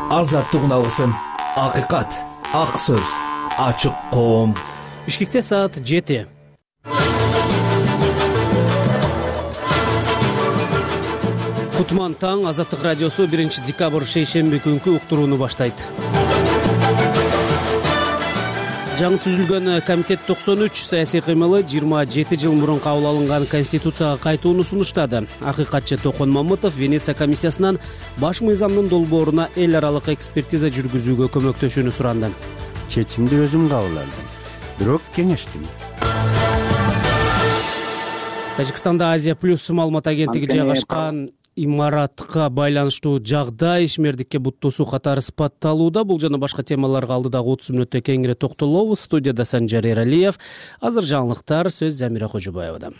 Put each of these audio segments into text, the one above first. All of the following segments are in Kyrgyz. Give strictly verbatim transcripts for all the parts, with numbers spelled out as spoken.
Азаттык алгысын, акыйкат, ак сөз, ачык коом. Бишкекте саат жети. Кутман таң. Азаттык радиосу биринчи декабрь шейшемби күнкү уктурууну баштайт. Жаңы түзүлгөн комитет токсон үч саясий кыймылы жыйырма жети жыл мурун кабыл алынган конституцияга кайтууну сунуштады. Акыйкатчы Токон Мамытов Венеция комиссиясынан баш мыйзамдын долбооруна эл аралык экспертиза жүргүзүүгө көмөктөшүүнү суранды. Чечимди өзүм кабыл алдым, бирок кеңештим. Тажикстанда Азия плюс маалымат агенттиги жайгашкан имаратка байланыштуу жагдай ишмердикке буттуусу катары сыпатталууда. Бул жана башка темаларга алдыдагы отуз мүнөттө кеңири токтолобуз. Студияда Санжар Эралиев. Азыр жаңылыктар сөз Замира Кожобаевада.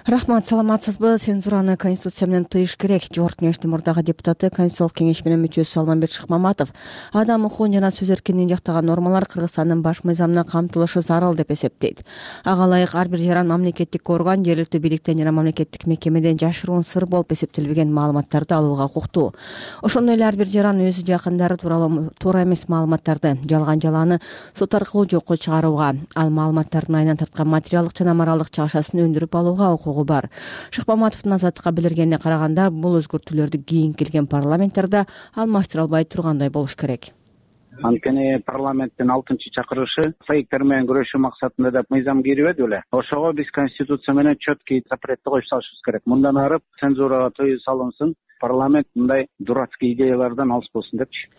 Рахмат, саламатсызбы? Цензураны конституция менен тыйыш керек. Жогорку кеңештин мурдагы депутаты, конституциялык кеңеш менен мүчөсү Салманбек Шыкмаматов адам укугун жана сөз эркиндигин жактаган нормалар Кыргызстандын баш мыйзамына камтылышы зарыл деп эсептейт. Ага ылайык ар бир жаран мамлекеттик орган, жергиликтүү бийликтен жана мамлекеттик мекемеден жашыруун сыр болуп эсептелбеген маалыматтарды алууга укуктуу. Ошондой эле ар бир жаран өзү жакындары тууралуу туура эмес маалыматтарды, жалган жалааны сот аркылуу жокко чыгарууга, ал маалыматтардын айынан тарткан материалдык жана моралдык чагышасын өндүрүп алууга укугу бар. Шыкмаматовдун Азаттыкка билдиргенине караганда, бул өзгөртүүлөрдү кийин келген парламенттерде алмаштыра албай тургандай болуш керек. Анткени парламенттин алтынчы чакырышы фейктер менен күрөшүү максатында деп мыйзам кирбеди беле. Ошого биз конституция менен четкий запретти коюп салышыбыз керек. Мындан ары цензурага тыюу салынсын, парламент мындай дурацкий идеялардан алыс болсун депчи.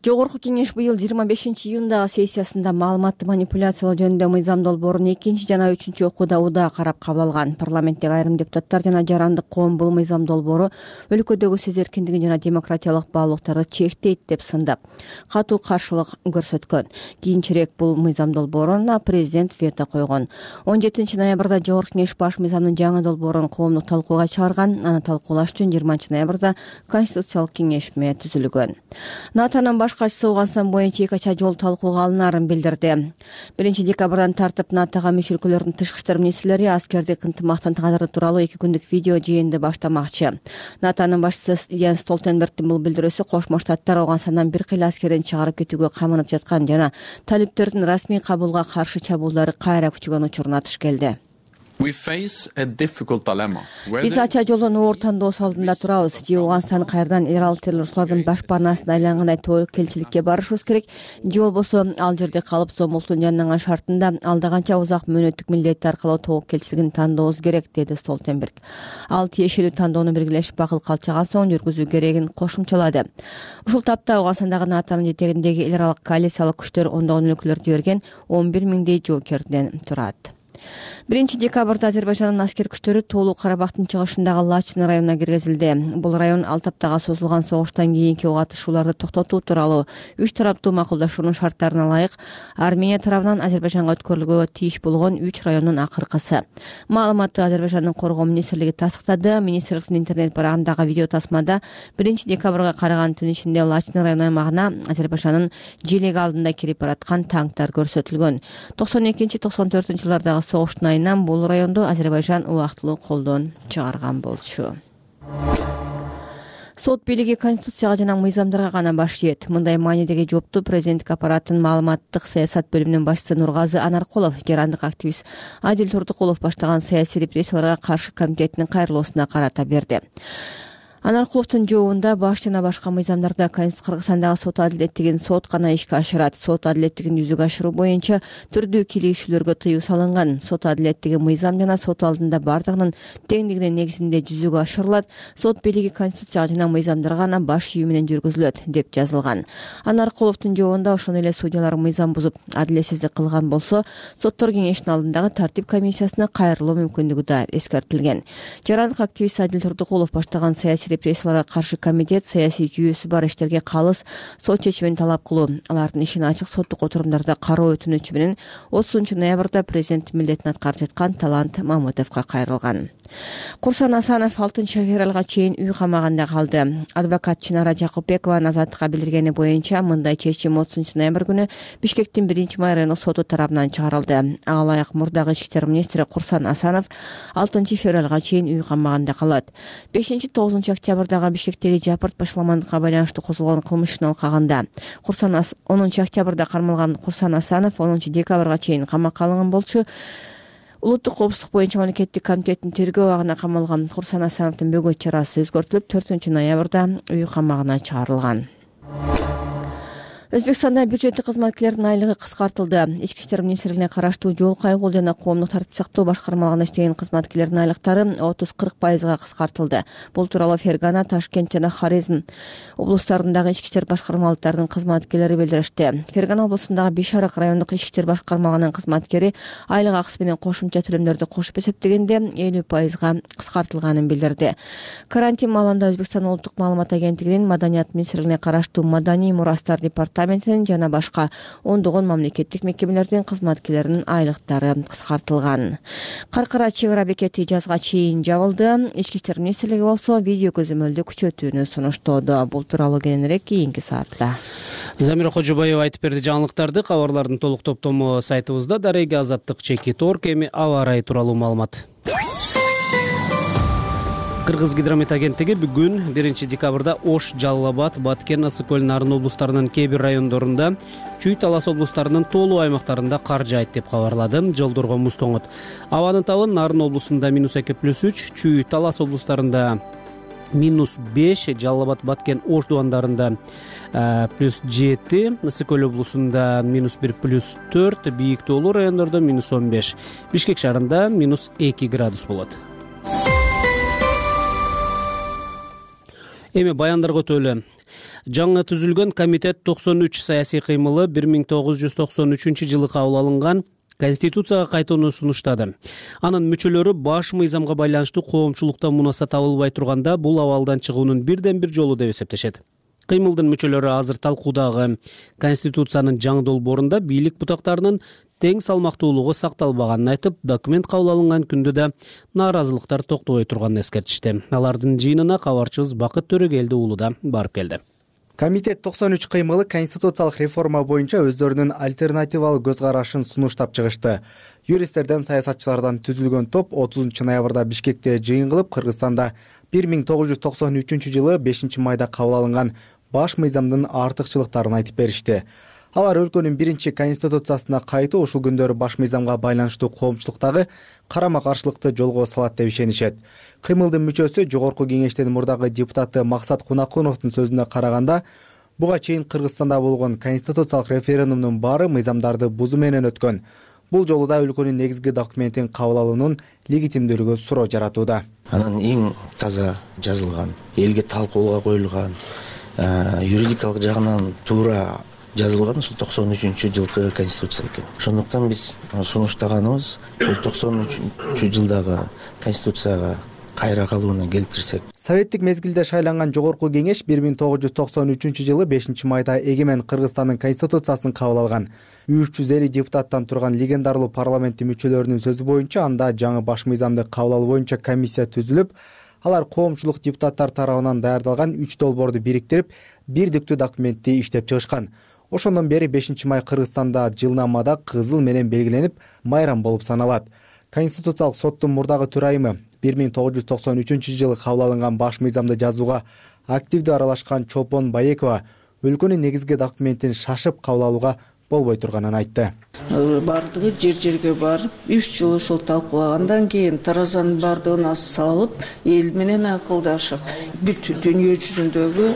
Жогорку кеңеш быйыл жыйырма бешинчи июндагы сессиясында маалыматты манипуляциялоо жөнүндө мыйзам долбоорун экинчи жана үчүнчү окууда удаа карап кабыл алган. Парламенттеги айрым депутаттар жана жарандык коом бул мыйзам долбоору өлкөдөгү сөз эркиндигин жана демократиялык баалуулуктарды чектейт деп сындап, катуу каршылык көрсөткөн. Кийинчерээк бул мыйзам долбооруна президент вето койгон. он жетинчи ноябрда жогорку кеңеш баш мыйзамдын жаңы долбоорун коомдук талкууга чыгарган. Аны талкуулаш үчүн жыйырманчы ноябрда конституциялык кеңешме түзүлгөн. НАТОнун баш катчысы Ооганстан боюнча эки ача жол талкууга алынаарын билдирди. биринчи декабрдан тартып НАТОга мүчө өлкөлөрдүн тышкы иштер министрлери аскердик ынтымактын кадыры тууралуу эки күндүк видео жыйынды баштамакчы. НАТОнун башчысы Йенс Столтенбергдин бул билдирүүсү Кошмо Штаттар Ооганстандан бир кыйла аскерин чыгарып кетүүгө камынып жаткан жана талиптердин расмий кабулга каршы чабуулдары кайра күчөгөн учуруна туш келди. Биз ача жолдон оор тандоо алдында турабыз. Же Ооганстан кайрадан эрал террорчулардын башпанасына айлангандай тобокелчиликке барышыбыз керек, же болбосо ал жерде калып зомбулуктун жанаган шартында алда канча узак мөөнөттүк милдети аркылуу тобокелчилигин тандообуз керек, деди Столтенберг. Ал тиешелүү тандоону белгилешип акыл калчаган соң жүргүзүү керегин кошумчалады. Ушул тапта Ооганстандагы НАТОнун жетегиндеги эл аралык коалициялык күчтөр ондогон өлкөлөрдү жиберген он бир миңдей жоокерден турат. биринчи декабрда Азербайжандын аскер күчтөрү Тоолуу Карабактын чыгышындагы Лачын районуна киргизилди. Бул район алты аптага созулган согуштан кийинки ого атышууларды токтотуу тууралуу үч тараптуу макулдашуунун шарттарына ылайык Армения тарабынан Азербайжанга өткөрүлгөнгө тийиш болгон үч райондун акыркысы. Маалыматты Азербайжандын коргоо министрлиги тастыктады. Министрликтин интернет барагындагы видео тасмада биринчи декабрга караган түн ичинде Лачын району аймагына Азербайжандын желеги алдында кирип бараткан танктар көрсөтүлгөн. токсон экинчи токсон төртүнчү жылдардагы согуштун айынан бул районду Азербайжан убактылуу колдон чыгарган болчу. Сот бийлиги конституцияга жана мыйзамдарга гана баш ийет. Мындай маанидеги жоопту президенттик аппараттын маалыматтык саясат бөлүмүнүн башчысы Нургазы Анаркулов, жарандык активист Адил Турдукулов баштаган саясий репрессияларга каршы комитетинин кайрылуусуна карата берди. Анаркуловдун жообунда баш жана башка мыйзамдарда Кыргызстандагы сот адилеттигин сот гана ишке ашырат. Сот адилеттигин жүзөгө ашыруу боюнча түрдүү кийлигишүүлөргө тыюу салынган. Сот адилеттиги мыйзам жана сот алдында бардыгынын теңдигинин негизинде жүзөгө ашырылат. Сот бийлиги конституцияга жана мыйзамдарга гана баш ийүү менен жүргүзүлөт деп жазылган. Анаркуловдун жообунда ошондой эле судьялар мыйзам бузуп адилетсиздик кылган болсо, соттор кеңешинин алдындагы тартип комиссиясына кайрылуу мүмкүндүгү да эскертилген. Жарандык активист Адил Турдукулов баштаган саясий репрессияларга каршы комитет саясий жүйөсү бар иштерге калыс сот чечимин талап кылуу, алардын ишин ачык соттук отурумдарда кароо өтүнүчү менен отузунчу ноябрда президент милдетин аткарып жаткан Талант Мамытовго кайрылган. Курсан Асанов алтынчы февралга чейин үй камагында калды. Адвокат Чынара Жакупбекованын азаттыкка билдиргени боюнча мындай чечим отузунчу ноябрь күнү Бишкектин биринчи райондук соту тарабынан чыгарылды. Ага ылайык мурдагы ички иштер министри Курсан Асанов алтынчы февралга чейин үй камагында калат. бешинчи тогузунчу октябрдагы Бишкектеги жапырт башаламандыкка байланыштуу козголгон кылмыш ишин алкагында. Курсан онунчу октябрда кармалган Курсан Асанов онунчу декабрга чейин камакка алынган болчу. Улуттук коопсуздук боюнча мамлекеттик комитеттин тергөө абагына камалган Курсан Асановдун бөгөт чарасы өзгөртүлүп, төртүнчү ноябрда үй камагына чыгарылган. Өзбекстанда бюджеттик кызматкерлердин айлыгы кыскартылды. Ички иштер министрлигине караштуу жол кайгуу жана коомдук тартип сактоо башкармалыгында иштеген кызматкерлердин айлыктары отуз кырк пайызга кыскартылды. Бул тууралуу Фергана, Ташкент жана Хорезм облустарындагы ички иштер башкармалыктарынын кызматкерлери билдиришти. Фергана облусундагы Бишарак райондук ички иштер башкармалыгынын кызматкери айлык акысы менен кошумча төлөмдөрдү кошуп эсептегенде элүү пайызга кыскартылганын билдирди. Карантин маалында Өзбекстан улуттук маалымат агенттигинин Маданият министрлигине караштуу Маданий мурастар департаменти жана башка ондогон мамлекеттик мекемелердин кызматкерлеринин айлыктары кыскартылган. Каркара чек ара бекети жазга чейин жабылды. Ички иштер министрлиги болсо видео көзөмөлдү күчөтүүнү сунуштоодо. Бул тууралуу кийинирээк кийинки саатта. Замира Кожобаева айтып берди жаңылыктарды. Кабарлардын толук топтому сайтыбызда. Дареги Азаттык чеки торг, эми аба ырайы тууралуу маалымат. Кыргыз гидромет агенттиги бүгүн биринчи декабрда Ош, Жалал Абад, Баткен, Ысык көл, Нарын облустарынын кээ бир райондорунда, Чүй, Талас облустарынын тоолуу аймактарында кар жаайт деп кабарлады. Жолдорго муз тоңот. Абанын табы Нарын облусунда минус эки плюс үч, Чүй, Талас облустарында минус беш, Жалал Абад, Баткен, Ош дубандарында плюс жети, Ысык көл облусунда минус бир плюс төрт, бийик тоолуу райондордо минус он беш, Бишкек шаарында минус эки градус болот. Эми баяндарга өтөлү. Жаңы түзүлгөн комитет токсон үч саясий кыймылы бир миң тогуз жүз токсон үчүнчү жылы кабыл алынган Конституцияга кайтууну сунуштады. Анын мүчөлөрү баш мыйзамга байланыштуу коомчулукта мунаса табылбай турганда бул абалдан чыгуунун бирден бир жолу деп эсептешет. Кыймылдын мүчөлөрү азыр талкуудагы Конституциянын жаңы долбоорунда бийлик бутактарынын тең салмактуулугу сакталбаганын айтып, документ кабыл алынган күндө да нааразылыктар токтобой турганын эскертишти. Алардын жыйынына кабарчыбыз Бакыт Төрөгелди уулу да барып келди. Комитет токсон үч кыймылы конституциялык реформа боюнча өздөрүнүн альтернативалуу көз карашын сунуштап чыгышты. Юристтерден, саясатчылардан түзүлгөн топ отузунчу ноябрда Бишкекте жыйын кылып, Кыргызстанда бир миң тогуз жүз токсон үчүнчү жылы бешинчи майда кабыл алынган баш мыйзамдын артыкчылыктарын айтып беришти. Алар өлкөнүн биринчи конституциясына кайтуу ушул күндөрү баш мыйзамга байланыштуу коомчулуктагы карама-каршылыкты жолго салат деп ишенишет. Кыймылдын мүчөсү Жогорку кеңештин мурдагы депутаты Максат Кунакуновдун сөзүнө караганда, буга чейин Кыргызстанда болгон конституциялык референдумдун баары мыйзамдарды бузуу менен өткөн. Бул жолу да өлкөнүн негизги документин кабыл алуунун легитимдүүлүгү суроо жаратууда. Анын эң таза жазылган, элге талкууга коюлган, юридикалык жагынан туура жазылган ушул токсон үчүнчү жылкы конституция экен. Ошондуктан биз сунуштаганыбыз ушул токсон үчүнчү жылдагы конституцияга кайра калууна келтирсек. Советтик мезгилде шайланган Жогорку кеңеш бир миң тогуз жүз токсон үчүнчү жылы бешинчи майда эгемен Кыргызстандын конституциясын кабыл алган. үч жүз элүү депутаттан турган легендарлуу парламенттин мүчөлөрүнүн сөзү боюнча, анда жаңы баш мыйзамды кабыл алуу боюнча комиссия түзүлүп, алар коомчулук депутаттар тарабынан даярдалган үч долбоорду бириктирип, бирдиктүү документти иштеп чыгышкан. Ошондон бери бешинчи май Кыргызстанда жылнамада кызыл менен белгиленип, майрам болуп саналат. Конституциялык соттун мурдагы төрайымы бир миң тогуз жүз токсон үчүнчү жылы кабыл алынган баш мыйзамды жазууга активдүү аралашкан Чолпон Баекова өлкөнүн негизги документин шашып кабыл алууга болбой турганын айтты. Бардыгы жер жерге барып, үч жыл ошол талкуулагандан кийин таразанын бардыгына салып, эл менен акылдашып, бүт дүйнө жүзүндөгү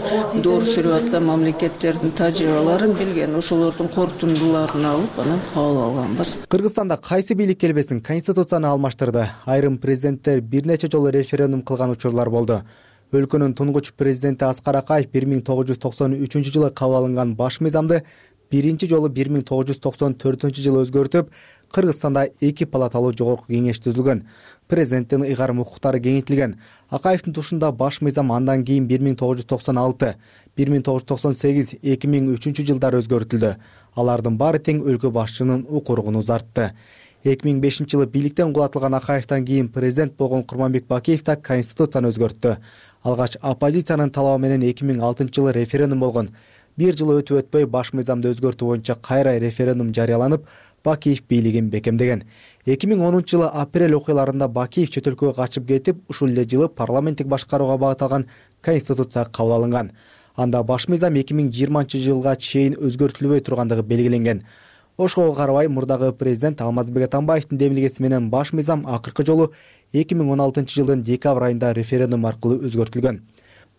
доор сүрүп аткан мамлекеттердин тажрыйбаларын билген, ошолордун корутундуларын алып, анан кабыл алганбыз. Кыргызстанда кайсы бийлик келбесин конституцияны алмаштырды. Айрым президенттер бир нече жолу референдум кылган учурлар болду. Өлкөнүн тунгуч президенти Аскар Акаев бир миң тогуз жүз токсон үчүнчү жылы кабыл алынган баш мыйзамды биринчи жолу бир миң тогуз жүз токсон төртүнчү жылы өзгөртүп, Кыргызстанда эки палаталуу жогорку кеңеш түзүлгөн. Президенттин ыйгарым укуктары кеңейтилген. Акаевдин тушунда баш мыйзам андан кийин бир миң тогуз жүз токсон алты, бир миң тогуз жүз токсон сегиз, эки миң үчүнчү жылдары өзгөртүлдү. Алардын баары тең өлкө башчынын укугун узартты. эки миң бешинчи жылы бийликтен кулатылган Акаевден кийин президент болгон Курманбек Бакиев да конституцияны өзгөрттү. Алгач оппозициянын талабы менен эки миң алтынчы жылы референдум болгон. Бир жыл өтүп өтпөй баш мыйзамды өзгөртүү боюнча кайра референдум жарыяланып, Бакиев бийлигин бекемдеген. эки миң онунчу жылы апрель окуяларында Бакиев чет өлкөгө качып кетип, ушул эле жылы парламенттик башкарууга багытталган конституция кабыл алынган. Анда баш мыйзам эки миң жыйырманчы жылга чейин өзгөртүлбөй тургандыгы белгиленген. Ошого карабай мурдагы президент Алмазбек Атамбаевдин демилгеси менен баш мыйзам акыркы жолу эки миң он алтынчы жылдын декабрь айында референдум аркылуу өзгөртүлгөн.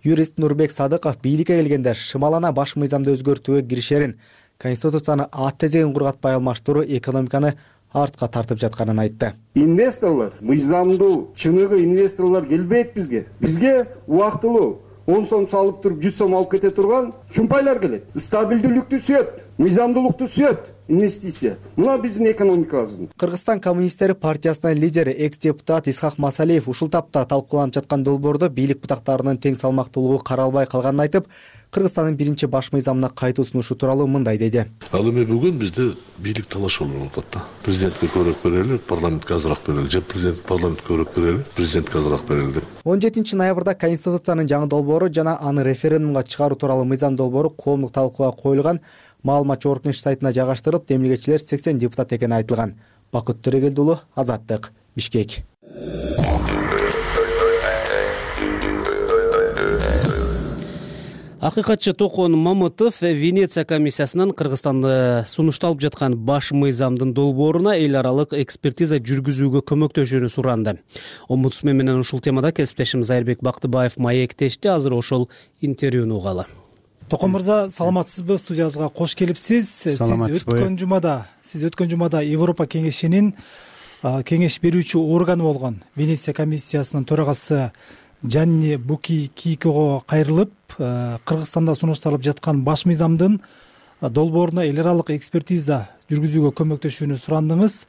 Юрист Нурбек Садыков бийликке келгенде шымалана баш мыйзамды өзгөртүүгө киришерин, конституцияны ат тезегин кургатпай алмаштыруу экономиканы артка тартып жатканын айтты. Инвесторлор, мыйзамдуу чыныгы инвесторлор келбейт бизге. Бизге убактылуу он сом салып туруп жүз сом алып кете турган шумпайлар келет. Стабилдүүлүктү сүйөт, мыйзамдуулукту сүйөт. Инвестиция. Мына биздин экономикабыздын. Кыргызстан коммунисттери партиясынын лидери экс-депутат Исхак Масалиев ушул тапта талкууланып жаткан долбоордо бийлик бутактарынын тең салмактуулугу каралбай калганын айтып, Кыргызстандын биринчи баш мыйзамына кайтуу сунушу тууралуу мындай деди. Ал эми бүгүн бизде бийлик талаш болуп атат да. Президентке көбүрөөк берели, парламентке азыраак берели, же президент парламентке көбүрөөк берели, президентке азыраак берели деп. он жетинчи ноябрда конституциянын жаңы долбоору жана аны референдумга чыгаруу тууралуу мыйзам долбоору коомдук талкууга коюлган. Маалыматчы Оркнеш сайтына жайгаштырып, демилгечилер сексен депутат экени айтылган. Бакыт Төрөгелди уулу, Азаттык, Бишкек. Акыйкатчы Токон Мамытов Венеция комиссиясынан Кыргызстанды сунушталып жаткан баш мыйзамдын долбооруна эл аралык экспертиза жүргүзүүгө көмөктөшүүнү суранды. Омбудсмен менен ушул темада кесиптешим Айырбек Бактыбаев маектешти. Азыр ошол интервьюну угалы. Токон мырза, саламатсызбы? Студиябызга кош келипсиз. Сиз өткөн жумада, сиз өткөн жумада Европа кеңешинин кеңеш берүүчү органы болгон Венеция комиссиясынын төрагасы Жанни Буки Кийкого кайрылып, Кыргызстанда сунушталып жаткан баш мыйзамдын долбооруна эл аралык экспертиза жүргүзүүгө көмөктөшүүнү сурандыңыз.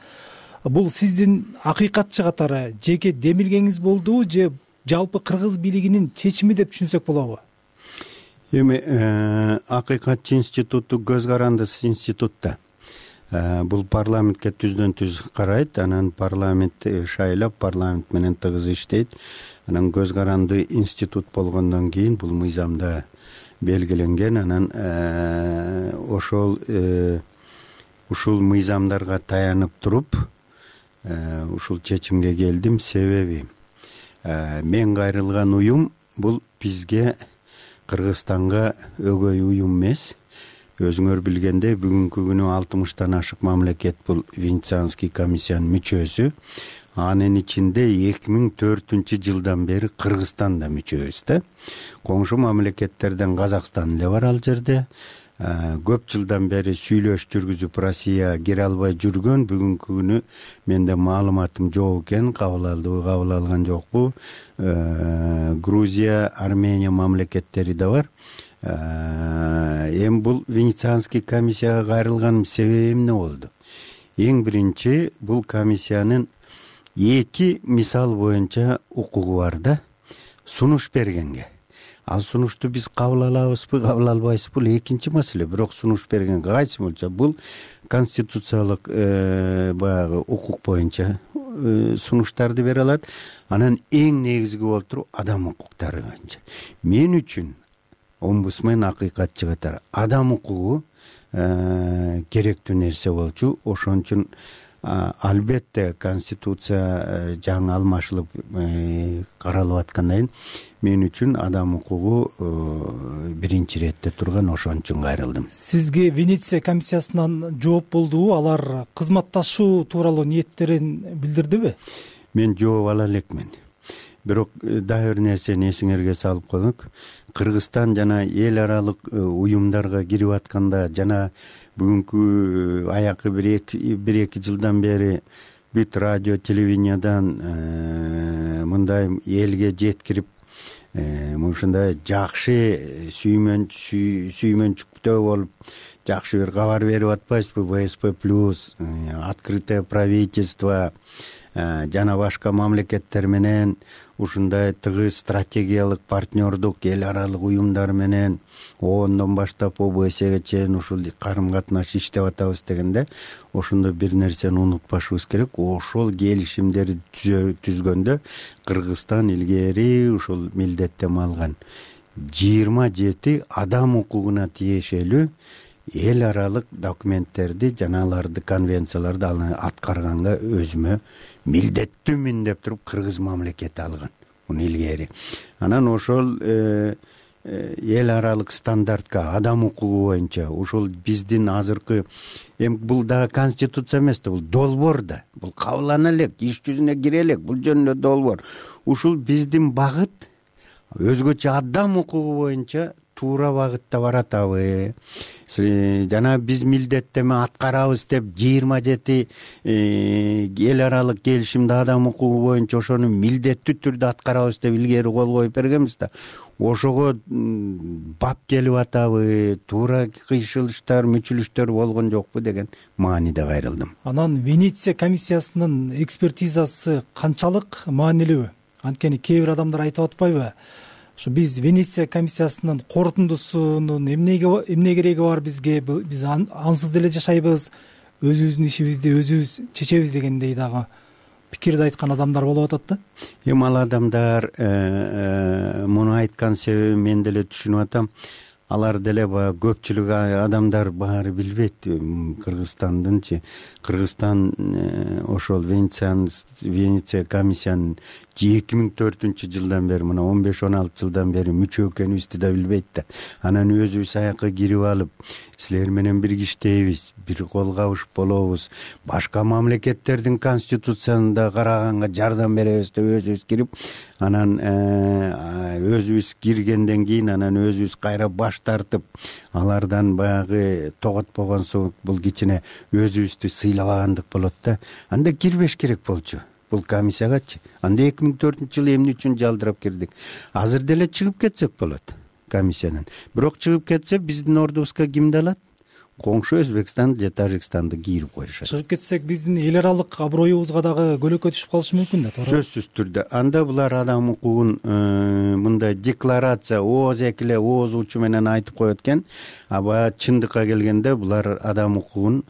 Бул сиздин акыйкатчы катары жеке демилгеңиз болду же жалпы кыргыз бийлигинин чечими деп түшүнсөк болобу? Эми акыйкатчы институту көз карандысыз институт да. Бул парламентке түздөн түз карайт, анан парламент шайлап, парламент менен тыгыз иштейт. Анан көз каранды институт болгондон кийин бул мыйзамда белгиленген. Анан ошол ушул мыйзамдарга таянып туруп ушул чечимге келдим. Себеби мен кайрылган уюм бул бизге Кыргызстанга өгөй уюм эмес. Өзүңөр билгендей, бүгүнкү күнү алтымыштан ашык мамлекет бул Венецианский комиссиянын мүчөсү. Анын ичинде эки миң төртүнчү жылдан бери Кыргызстан да мүчөбүз да. Коңшу мамлекеттерден Казакстан эле бар ал жерде. Көп жылдан бери сүйлөш жүргүзүп Россия кире албай жүргөн. Бүгүнкү күнү менде маалыматым жок экен, кабыл алдыбы, кабыл алган жокпу. Грузия, Армения мамлекеттери да бар. Эми бул Венецианский комиссияга кайрылганым себеби эмне болду? Эң биринчи, бул комиссиянын эки мисал боюнча укугу бар да, сунуш бергенге. Ал сунушту биз кабыл алабызбы, кабыл албайбызбы? Бул экинчи маселе. Бирок сунуш берген кайсы болчу? Бул конституциялык баягы укук боюнча сунуштарды бере алат. Анан эң негизги болуп туруп адам укуктары боюнча. Мен үчүн омбудсмен акыйкатчы катары адам укугу керектүү нерсе болчу. Ошон үчүн албетте конституция жаңы алмашылып каралып аткандан мен үчүн адам укугу биринчи иретте турган, ошон үчүн кайрылдым. Сизге Венеция комиссиясынан жооп болдубу? Алар кызматташуу тууралуу ниеттерин билдирдиби? Мен жооп ала элекмин. Бирок дагы бир нерсени эсиңерге салып коелук. Кыргызстан жана эл аралык уюмдарга кирип атканда жана бүгүнкү аякы бир эки жылдан бери бүт радио, телевидениядан мындай элге жеткирип, ушундай жакшы сүймөнчүктөө болуп жакшы бир кабар берип атпайбызбы? ВСП плюс, открытое правительство жана башка мамлекеттер менен ушундай тыгыз стратегиялык партнердук эл аралык уюмдар менен оондон баштап ОБСге чейин ушул карым катнаш иштеп атабыз дегенде ошондо бир нерсени унутпашыбыз керек. Ошол келишимдерди түзгөндө Кыргызстан илгери ушул милдеттенме алган жыйырма жети адам укугуна тиешелүү эл аралык документтерди жана аларды конвенцияларды аткарганга өзүмө милдеттүүмүн деп туруп кыргыз мамлекети алган муну илгери. Анан ошол эл аралык стандартка адам укугу боюнча ушул биздин азыркы эми бул дагы конституция эмес да, бул долбоор да, бул кабылдана элек, иш жүзүнө кире элек, бул жөнүндө долбоор. Ушул биздин багыт өзгөчө адам укугу боюнча туура багытта баратабы, жана биз милдеттеме аткарабыз деп жыйырма жети эл аралык келишимди адам укугу боюнча ошону милдеттүү түрдө аткарабыз деп илгери кол коюп бергенбиз да. Ошого бап келип атабы, туура кыйшылыштар, мүчүлүштөр болгон жокпу деген мааниде кайрылдым. Анан Венеция комиссиясынын экспертизасы канчалык маанилүү? Анткени кээ бир адамдар айтып атпайбы? Ошо биз Венеция комиссиясынын корутундусунун эмнеге эмне кереги бар бизге? Биз ансыз деле жашайбыз, өзүбүздүн ишибизди өзүбүз чечебиз дегендей дагы пикирди айткан адамдар болуп атат да. Эми ал адамдар муну айткан себебин мен деле түшүнүп атам. Алар деле баягы көпчүлүк адамдар баары билбейт Кыргызстандынчы. Кыргызстан ошол Венеция комиссиянын эки миң төртүнчү жылдан бери, мына он беш он алты жылдан бери мүчө экенибизди да билбейт да. Анан өзүбүз аякка кирип алып, силер менен бирге иштейбиз, бир кол кабышып болобуз, башка мамлекеттердин конституциясына да караганга жардам беребиз деп өзүбүз кирип, анан өзүбүз киргенден кийин анан өзүбүз кайра баш тартып, алардан баягы тоготпогон соң бул кичине өзүбүздү сыйлабагандык болот да. Анда кирбеш керек болчу бул комиссиягачы. Анда эки миң төртүнчү жылы эмне үчүн жалдырап кирдик? Азыр деле чыгып кетсек болот комиссиядан. Бирок чыгып кетсе биздин ордубузга кимди алат? Коңшу Өзбекстан же Тажикстанды кийирип коюшат. Чыгып кетсек биздин эл аралык аброюбузга дагы көлөкө түшүп калышы мүмкүн да, туура? Сөзсүз түрдө. Анда булар адам укугун мындай декларация ооз экиле оозучу менен айтып коет экен, а баягы чындыкка келгенде булар адам укугун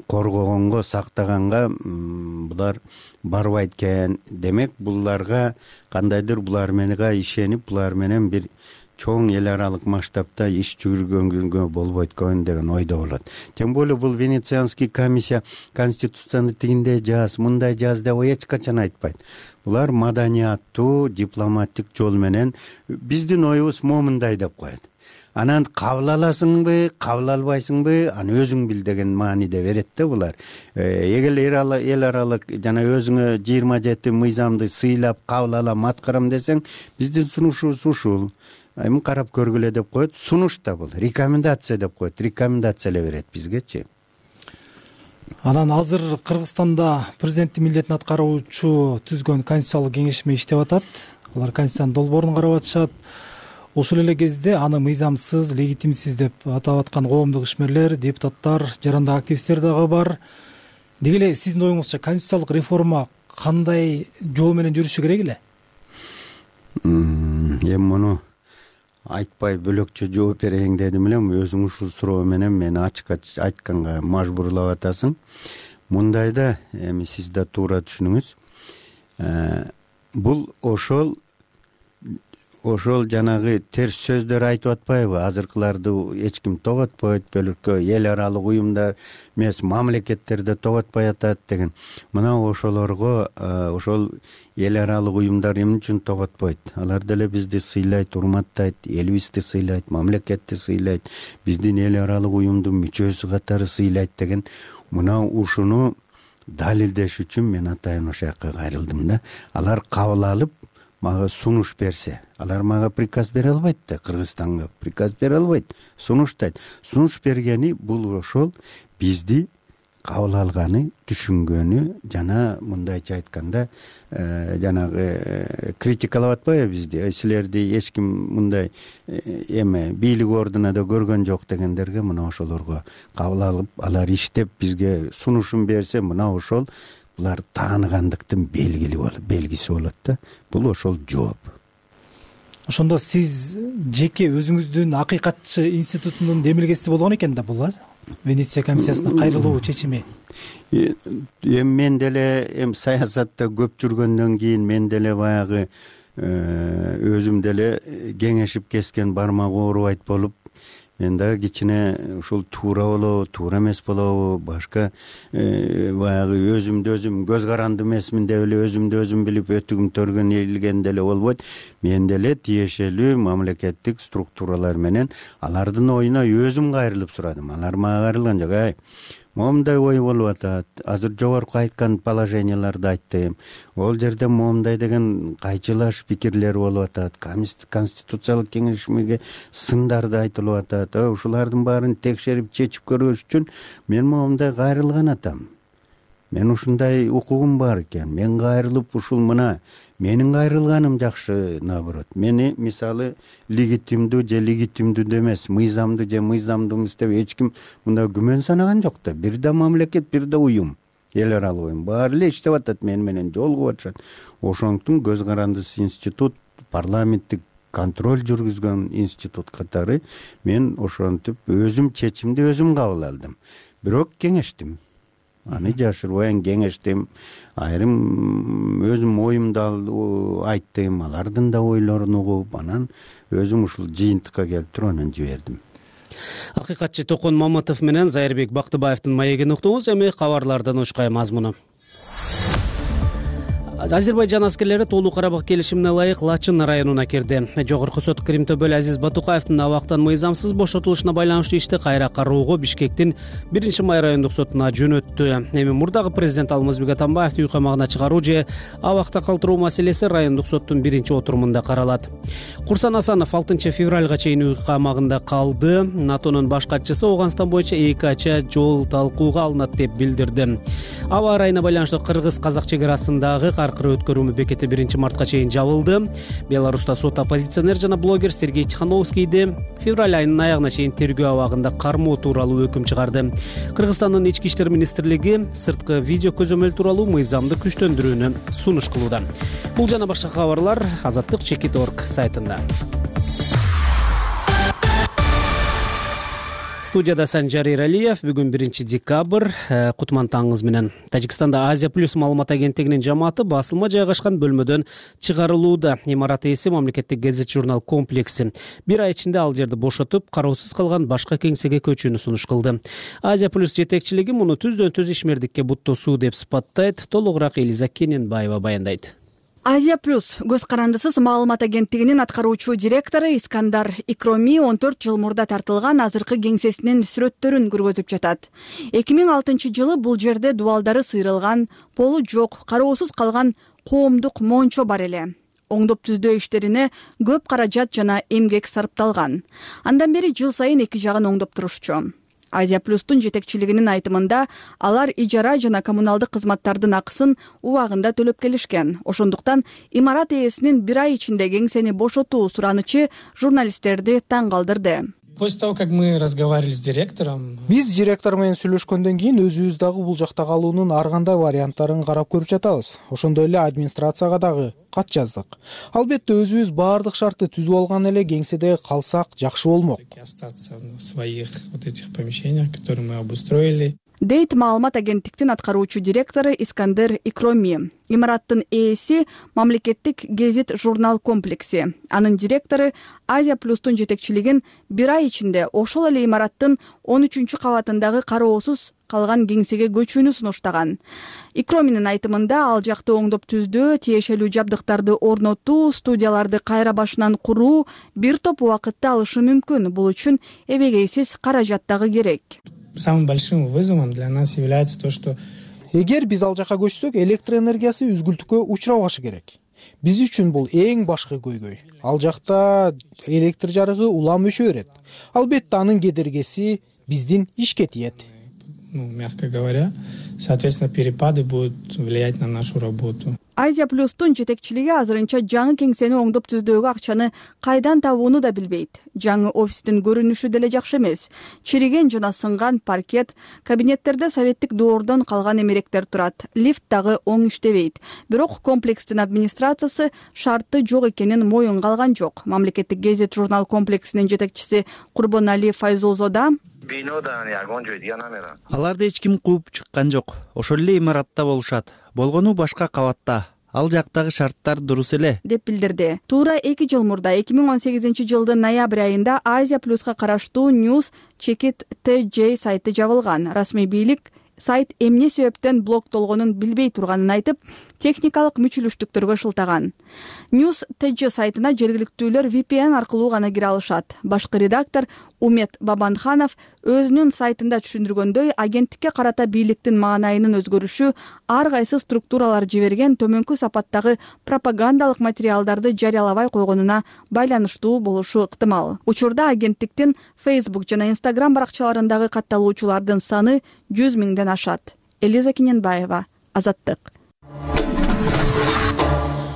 коргогонго, сактаганга булар барбайт экен. Демек буларга кандайдыр булар менен ишенип, булар менен бир чоң эл аралык масштабта иш жүргөнгө болбойт экен деген ойдо болот. Тем более бул Венецианский комиссия конституцияны тигиндей жаз, мындай жаз деп эч качан айтпайт. Булар маданияттуу, дипломаттык жол менен биздин оюбуз момундай деп коет. Анан кабыл аласыңбы, кабыл албайсыңбы, аны өзүң бил деген мааниде берет да булар. Эгер эл аралык жана өзүңө жыйырма жети мыйзамды сыйлап кабыл алам, аткарам десең, биздин сунушубуз ушул. Эми карап көргүлө деп коет. Сунуш да бул, рекомендация деп коет. Рекомендация эле берет бизгечи. Анан азыр Кыргызстанда президенттин милдетин аткаруучу түзгөн конституциялык кеңешме иштеп атат. Алар конституциянын долбоорун карап атышат. Ошол эле кезде аны мыйзамсыз, легитимсиз деп атап аткан коомдук ишмерлер, депутаттар, жарандык активисттер дагы бар. Деги эле сиздин оюңузча конституциялык реформа кандай жол менен жүрүшү керек эле? Эми муну айтпай бөлөкчө жооп берейин дедим эле, өзүң ушул суроо менен мени ачык айтканга мажбурлап атасың. Мындайда эми сиз да туура түшүнүңүз. Бул ошол ошол жанагы терс сөздөр айтып атпайбы? Азыркыларды эч ким тоготпойт, бөлөккө эл аралык уюмдар эмес, мамлекеттерде тоготпой атат деген. Мына ошолорго ошол эл аралык уюмдар эмне үчүн тоготпойт? Алар деле бизди сыйлайт, урматтайт, элибизди сыйлайт, мамлекетти сыйлайт, биздин эл аралык уюмдун мүчөсү катары сыйлайт деген. Мына ушуну далилдеш үчүн мен атайын ошол жакка кайрылдым да. Алар кабыл алып мага сунуш берсе, алар мага приказ бере албайт да, Кыргызстанга приказ бере албайт, сунуштайт. Сунуш бергени бул ошол бизди кабыл алганы, түшүнгөнү жана мындайча айтканда жанагы критикалап атпайбы бизди, силерди эч ким мындай эме бийлик ордуна да көргөн жок дегендерге мына ошолорго кабыл алып, алар иштеп бизге сунушун берсе, мына ошол булар тааныгандыктын белгили болот, белгиси болот да. Бул ошол жооп. Ошондо сиз жеке өзүңүздүн акыйкатчы институтунун демилгеси болгон экен да бул Венеция комиссиясына кайрылуу чечими. Эми мен деле эми саясатта көп жүргөндөн кийин мен деле баягы өзүм деле кеңешип кескен бармагы оорубайт болуп, мен дагы кичине ушул туура болобу, туура эмес болобу, башка баягы өзүмдү өзүм көз каранды эмесмин деп эле өзүмдү өзүм билип өтүгүм төргөн элген деле болбойт. Мен деле тиешелүү мамлекеттик структуралар менен алардын оюна өзүм кайрылып сурадым. Алар мага кайрылган жок. Ай, момундай ой болуп атат. Азыр жогорку айткан положенияларды айттым. Ол жерде момундай деген кайчылаш пикирлер болуп атат. Конституциялык кеңешмеге сындарды айтылып атат. Ушулардын баарын текшерип чечип көрүш үчүн мен момундай кайрылган атам. Мен ушундай укугум бар экен. Мен кайрылып ушул мына менин кайрылганым жакшы, наоборот. Мени мисалы легитимдүү же легитимдүү эмес, мыйзамдуу же мыйзамдуу эмес деп эч ким мында күмөн санаган жок да. Бир да мамлекет, бир да уюм, эл аралык уюм баары эле иштеп атат, мени менен жолугуп атышат. Ошондуктан көз карандысыз институт, парламенттик контроль жүргүзгөн институт катары мен ошентип өзүм чечимди өзүм кабыл алдым. Бирок кеңештим. Аны жашырбай кеңештим. Айрым өзүм оюмду айттым, алардын да ойлорун угуп, анан өзүм ушул жыйынтыкка келип туруп анан жибердим. Акыйкатчы Токон Маматов менен Зайырбек Бактыбаевдин маегин уктуңуз. Эми кабарлардан ушкай мазмуну. Азербайжан аскерлери Тоолуу Карабак келишимине ылайык Лачын районуна кирди. Жогорку сот Кырым төбөлү Азиз Батукаевдин абактан мыйзамсыз бошотулушуна байланыштуу ишти кайра кароого Бишкектин биринчи май райондук сотуна жөнөттү. Эми мурдагы президент Алмазбек Атамбаевди үй камагына чыгаруу же абакта калтыруу маселеси райондук соттун биринчи отурумунда каралат. Курсан Асанов алтынчы февралга чейин үй камагында калды. НАТОнун баш катчысы Ооганстан боюнча эки ача жол талкууга алынат деп билдирди. Аба ырайына байланыштуу Кыргыз-Казак чек арасындагы аркыры өткөрүү бекети биринчи мартка чейин жабылды. Беларуста сот оппозиционер жана блогер Сергей Тихановскийди февраль айынын аягына чейин тергөө абагында кармоо тууралуу өкүм чыгарды. Кыргызстандын ички иштер министрлиги сырткы видео көзөмөл тууралуу мыйзамды күчтөндүрүүнү сунуш кылууда. Бул жана башка кабарлар Азаттык чекит точка орг сайтында. Студияда Санжар Иралиев. Бүгүн биринчи декабрь. Кутман таңыңыз менен. Тажикстанда Азия плюс маалымат агенттигинин жамааты басылма жайгашкан бөлмөдөн чыгарылууда. Имарат ээси мамлекеттик гезит журнал комплекси бир ай ичинде ал жерди бошотуп, кароосуз калган башка кеңсеге көчүүнү сунуш кылды. Азия плюс жетекчилиги муну түздөн түз ишмердикке буттоосуу деп сыпаттайт. Толугураак Элиза Кененбаева баяндайт. Азия плюс көз карандысыз маалымат агенттигинин аткаруучу директору Искандар Икроми он төрт жыл мурда тартылган азыркы кеңсесинин сүрөттөрүн көргөзүп жатат. эки миң алтынчы жылы бул жерде дубалдары сыйрылган, полу жок, кароосуз калган коомдук мончо бар эле. Оңдоп түздөө иштерине көп каражат жана эмгек сарпталган. Андан бери жыл сайын эки жагын оңдоп турушчу. Азия плюстун жетекчилигинин айтымында алар ижара жана коммуналдык кызматтардын акысын убагында төлөп келишкен. Ошондуктан имарат ээсинин бир ай ичинде кеңсени бошотуу суранычы журналисттерди таң калтырды. После того, как мы разговаривали с директором, биз директор менен сүйлөшкөндөн кийин өзүбүз дагы бул жакта калуунун ар кандай варианттарын карап көрүп жатабыз. Ошондой эле администрацияга дагы кат жаздык. Албетте өзүбүз баардык шартты түзүп алган эле кеңседе калсак жакшы болмок. Остаться в своих вот этих помещениях, которые мы обустроили. Дейт маалымат агенттиктин аткаруучу директору Искандер Икроми. Имараттын ээси мамлекеттик гезит журнал комплекси. Анын директору Азия плюстун жетекчилигин бир ай ичинде ошол эле имараттын он үчүнчү кабатындагы кароосуз калган кеңсеге көчүүнү сунуштаган. Икроминин айтымында ал жакты оңдоп түздөө, тиешелүү жабдыктарды орнотуу, студияларды кайра башынан куруу бир топ убакытты алышы мүмкүн. Бул үчүн эбегейсиз каражат дагы керек. Самым большим вызовом для нас является то, что эгер биз ал жака көчсөк, электр энергиясы үзгүлтүккө учурабашы керек. Биз үчүн бул эң башкы көйгөй. Ал жакта электр жарыгы улам өчө берет. Албетте анын кедергеси биздин ишке тиет. ну, мягко говоря, соответственно, перепады будут влиять на нашу работу. Азия плюстун жетекчилиги азырынча жаңы кеңсени оңдоп түздөөгө акчаны кайдан табууну да билбейт. Жаңы офистин көрүнүшү деле жакшы эмес. Чириген жана сынган паркет, кабинеттерде советтик доордон калган эмеректер турат. Лифт дагы оң иштебейт. Бирок комплекстин администрациясы шарты жок экенин моюнга алган жок. Мамлекеттик гезит журнал комплексинин жетекчиси Курбонали Файзулзода аларды эч ким кууп чыккан жок. Ошол эле имаратта болушат. Болгону башка кабатта. Ал жактагы шарттар дурус эле, деп билдирди. Туура эки жыл мурда эки миң он сегизинчи жылдын ноябрь айында Азия плюска караштуу News Checkit T J сайты жабылган. Расмий бийлик сайт эмне себептен блоктолгонун билбей турганын айтып, техникалык мүчүлүштүктөргө шылтаган. News T J сайтына жергиликтүүлөр V P N аркылуу гана кире алышат. Башкы редактор Умет Бабанханов өзүнүн сайтында түшүндүргөндөй, агенттикке карата бийликтин маанайынын өзгөрүшү ар кайсы структуралар жиберген төмөнкү сапаттагы пропагандалык материалдарды жарыялабай койгонуна байланыштуу болушу ыктымал. Учурда агенттиктин Facebook жана Instagram баракчаларындагы катталуучулардын саны жүз миңден ашат. Элиза Киненбаева, Азаттык.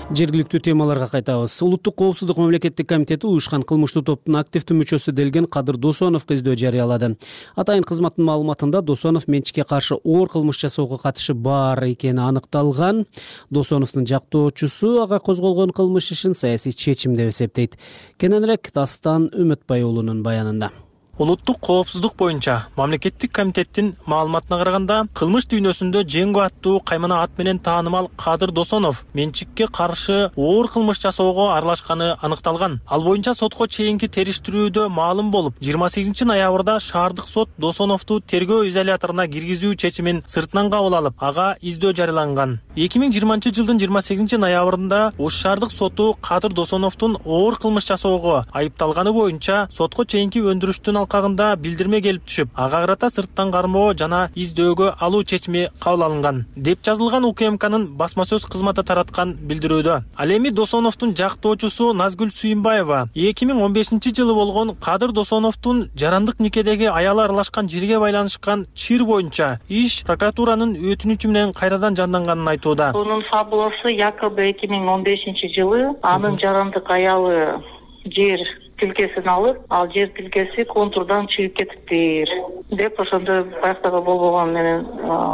Жергиликтүү темаларга кайтабыз. Улуттук коопсуздук мамлекеттик комитети уюшкан кылмыштуу топтун активдүү мүчөсү делген Кадыр Досоновго издөө жарыялады. Атайын кызматтын маалыматында Досонов менчикке каршы оор кылмыш жасоого катышы бар экени аныкталган. Досоновдун жактоочусу ага козголгон кылмыш ишин саясий чечим деп эсептейт. Кененирээк Дастан Үмүтбай уулунун баянында. Улуттук коопсуздук боюнча мамлекеттик комитеттин маалыматына караганда, кылмыш дүйнөсүндө Женго аттуу каймана ат менен таанымал Кадыр Досонов менчикке каршы оор кылмыш жасоого аралашканы аныкталган. Ал боюнча сотко чейинки териштирүүдө маалым болуп, жыйырма сегизинчи ноябрда шаардык сот Досоновду тергөө изоляторуна киргизүү чечимин сыртынан кабыл алып, ага издөө жарыяланган. эки миң жыйырманчы жылдын жыйырма сегизинчи ноябрында Ош шаардык соту Кадыр Досоновдун оор кылмыш жасоого айыпталганы боюнча сотко чейинки өндүрүштүн алкагында билдирме келип түшүп, ага карата сырттан кармоо жана издөөгө алуу чечими кабыл алынган деп жазылган У К М К'нын басма сөз кызматы тараткан билдирүүдө. Ал эми Досоновдун жактоочусу Назгүл Сүйүнбаева эки миң он бешинчи жылы болгон Кадыр Досоновдун жарандык никедеги аялы аралашкан жерге байланышкан чыр боюнча иш прокуратуранын өтүнүчү менен кайрадан жанданганын айтууда. Анын фабуласы якобы эки миң он бешинчи жылы анын жарандык аялы жер тилкесин алып, ал жер тилкеси контурдан чыгып кетиптир деп ошондой баяктагы болбогон менен